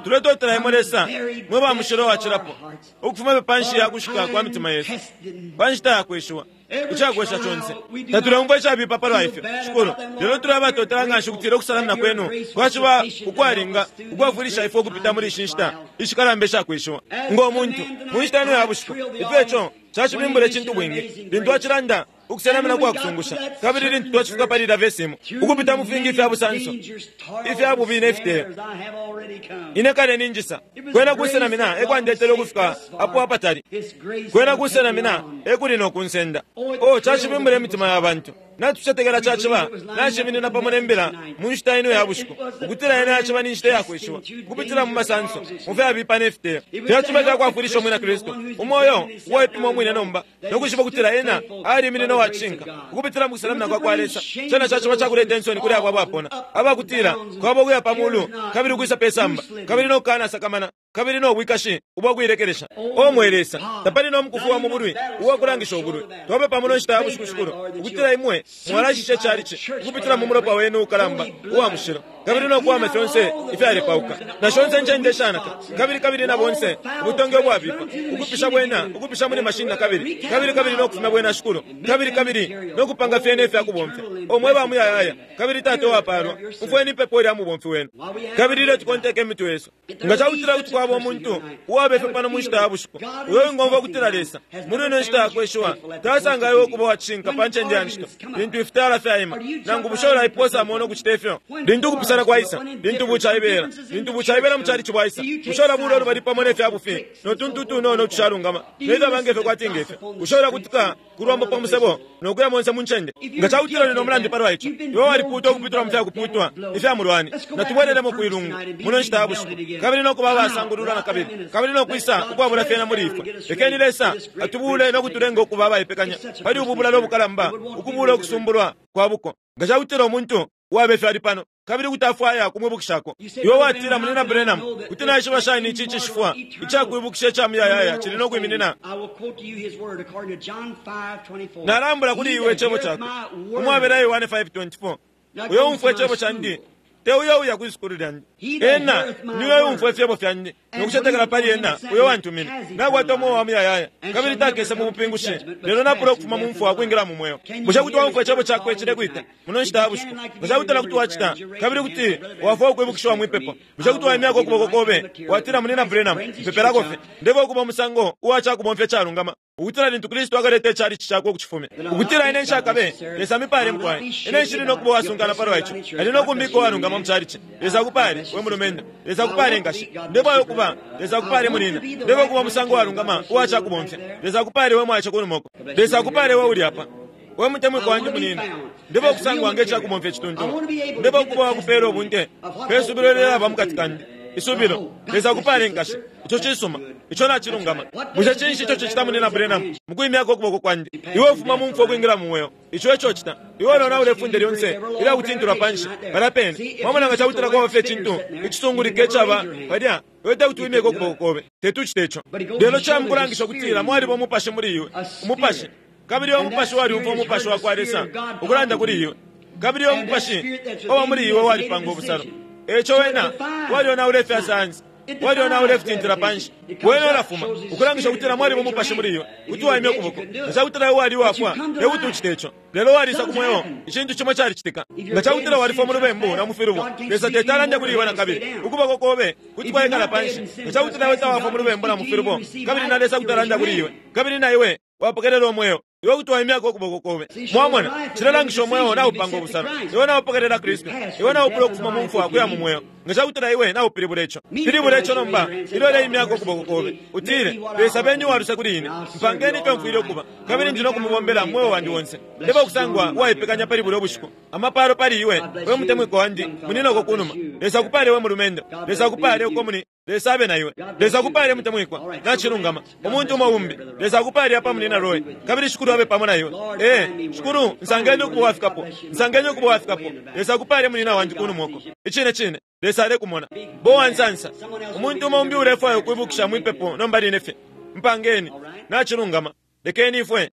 A: tuletotela imwe Lesa mwe ba mushilo wacilapo ukufuma panshi ya kushika kwa mitima yesu pa nshita yakweshiwa icakwesha conse tatuleumfwa icabipa palwa ifyo Shikulu lelo tulabatotela nganshi ukutila okusalamina kwenu kwaciba ukwalinga ukwafwilisha ifwe ukupita muli ishi nshita ishikalamba ishakweshiwa ngo muntu mu nshita ino ya bushiku ifyo ico cacibimbula icintu bwingi lintu acilanda ukusenamina kwakusungusha kabili lintu twacifika pali ila vesi imo ukupita mu fingi ifya busanso ifya bubi nefiteyo ine kale ninjisa kwena kusenamina ekwandetele ukufika apo apatali kwena kusenamina ekuli nokunsenda o cacibimbula imitima ya bantu Natucetekela caciba naciminina pamo ne mbila mu nshita ino ya bushiku, ukutila ena yaciba ni nshita yakweshiwa ukupitila mu masanso, mu fyabipa ne fiteyo. Fyaciba fyakwafwilisha umwina Kristu umoyo uwaipima umwine nomba no kwishiba ukutila ena aliminina uwacishinka ukupitila mu kusenamina kwa kwa Lesa. Cena caciba cakuleta insoni kuli abo abapona, abakutila kwabo ukuya pa mulu kabili ukwisa pe samba kabili no kukanasakamana kabili no bwikashi ubwakuilekelesha. O mwe Lesa, tapali no mukufu wa mubulwi uwakulangisha ubulwi. Twapepa muno nshita ya bushiku, Shikulu, ukutila imwe mwalashisha icalici ukupitila mu mulopa wenu ukalamba uwa mushilo, kabili no kuwama fyonse ifyalepauka na shonse ncende shanaka, kabili kabili na bonse ubutonge ubwabipa ukupisha bwena ukupisha muli mashini na kabili kabili kabili no kufumya bwena, Shikulu, kabili kabili no kupanga fyene ifyakubomfya. O mwe ba muyayaya kabili Tata uwapalwa, umfweni ipepo ilya mubomfi wenu. Kabili ilyo tukonteka imitwe yesu, nga cakutila kuti kwaba umuntu uwabefe pano mu nshita ya bushiku uyo wingomfwa ukutila Lesa muli ino nshita yakweshiwa tasanga iwe ukuba wacishinka pa ncende ya ncito lintu ifitala fyaima, nangu bushe ulaipoosamo no kucita ifyo lintu ukupisana kwaisa, lintu bucaibela, lintu bucaibela mu calici bwaisa, bushe ulabula ulubali pamo ne fya bufi no tuntu tunono utushalungama nefyaba ngefyo kwati ngefyo, bushe ulakutika kulwambo pa musebo nokuya monse mu ncende? Nga cakutila uli no mulandu palwa ico, iwe walipuutwa ukupitula mu fyakuputwa ifya mulwani. Natubwelelemo kwilungu muno nshita ya bushiku kabili nokuba abasangululwa na kabili kabili nokwisa ukwabula fyena muli ifwe. Lekeni Lesa atubule nokutulenga ukuba abaipekanya pali ubu bulalo obukalamba, ukubula ukusumbulwa kwa buko. Nga cakutila umuntu uwabe ali pano kabili kuti afwaya kumwibukishako, iwe watila, Munina Branham, kuti naishiba shani ici icishifwa icakwibukisha ica muyayaya cili no kwiminina? Nalambula kuli iwe icebo cakwe umwabela Yohane five twenty-four, uyo umfwa icebo candi te uyo uya kwi sukulu lyandi, ena niwe umfwa ifyebo fyandi nokucetekela pali ena uyo wantumine, nakwata umweo wa muyayaya kabili takese mu bupingushi, lelo napula ukufuma mu mfwa kwingila mu mweo. Bushe kuti waumfwa icebo cakwe cilekwita muno nshita ya bushiku? Nga cakutila kuti wacita kabili kuti wafwa ukwibukishiwa mwipepo, bushe kuti waimyako ukuboko kobe watila, Munina Branham, mpepelako fye ndebe ukuba umusango uwacakubomfya icalungama, ukutila lintu Kristu akaleta icalici cakwe ukucifumya, ukutila ine nshakabe Lesa mipale mukwaye, ine nshili nokuba uwasunkana palwa ico, ali nokumbika uwalungama mu calici. Lesa akupale we mulumendo, Lesa akupale nkashi, ndefwaya ukuba, Lesa akupale munina, ndefwaya ukuba umusango uwalungama uwacakubomfya. Lesa akupale we mwace kunumoko, Lesa akupale we uli apa we mutemwiko wandi munina, ndefwaya ukusangwa nge cakubomfya icituntulu, ndefwaya ukuba wakupela ubunte pe subilo lilaba mukati kandi isubilo. Lesa akupale nkashi, ico cisuma, ico nacilungama. Bushe cinshi ico cicita, Munina Branham, mukwimyako ukuboko kwandi? Iwe ufuma mu mfwa ukwingila mu mweo, ico eco cita. Iwe lona ulefunde lyonse ilyakutintilwa panshi palya pene. Mwamona nga cakutila kwaba fye icintu icisungulika icaba palya, iwe tekuti wimyeko ukuboko kobe, tetucite ico. Lelo camukulangisha ukutila mwaliba umupashi muli iwe, umupashi, kabili uyo mupashi waliumfwa umupashi wa kwa Lesa ukulanda kuli iwe, kabili uyo mupashi owa muli iwe walipanga ubusalo. Eco wena walionaula ifya sayansi, walionaula ifitintila panshi, wena ulafuma ukulangisha ukutila mwaliba umupashi muli iwe, kuti waimya ukuboko. Nga cakutila iwe wali uwafwa tekuti ucite ico, lelo walisa ku mweo, icintu cimo calicitika. Nga cakutila walifwa mu lubembu na mu filubo, Lesa teti alande kuli iwe na kabili, ukuboko kobe kuti kwaikala panshi. Nga cakutila iwe tawafwa mu lubembu na mu filubo, kabili na Lesa kuti alanda kuli iwe, kabili na iwe wapokelela umweo, iwe kuti waimyako ukuboko kobe. Mwamona, cilalangisha umweo naupanga ubusalo. Iwe naupokelela Kristu, iwe naupula ukufuma mu mfwa kuya mu mweo. Nga cakutila iwe naupilibula ico, pilibula ico nomba ilyo uleimyako ukuboko kobe, utile, Lesa beni uwaluse kuli ine, mpangeni ifyo mfwile ukuba, kabili ndi nokumubombela mweo wandi wonse. Ndefwaya ukusangwa uwaipekanya pali bulya ubushiku. Amapalo pali iwe we mutemwiko wandi muninoko kunuma. Lesa akupale we mulumendo, Lesa akupale uko muni, Lesa abe na iwe. Lesa akupale mutemwikwa, nacilungama. Umuntu umo umbi, Lesa akupale apa munina Roy, kabili Shikulu abe pamo na iwe. Eh, Shikulu, nsangeni ukuba wafikapo, nsangeni ukuba wafikapo. Lesa akupale munina wandi kunumoko. Icine cine Lesa alekumona. Bo wansansa. Umuntu umo umbi ulefwaya ukwibukisha mwipepo nomba line fye. Mpangeni, nacilungama. Lekeni ifwe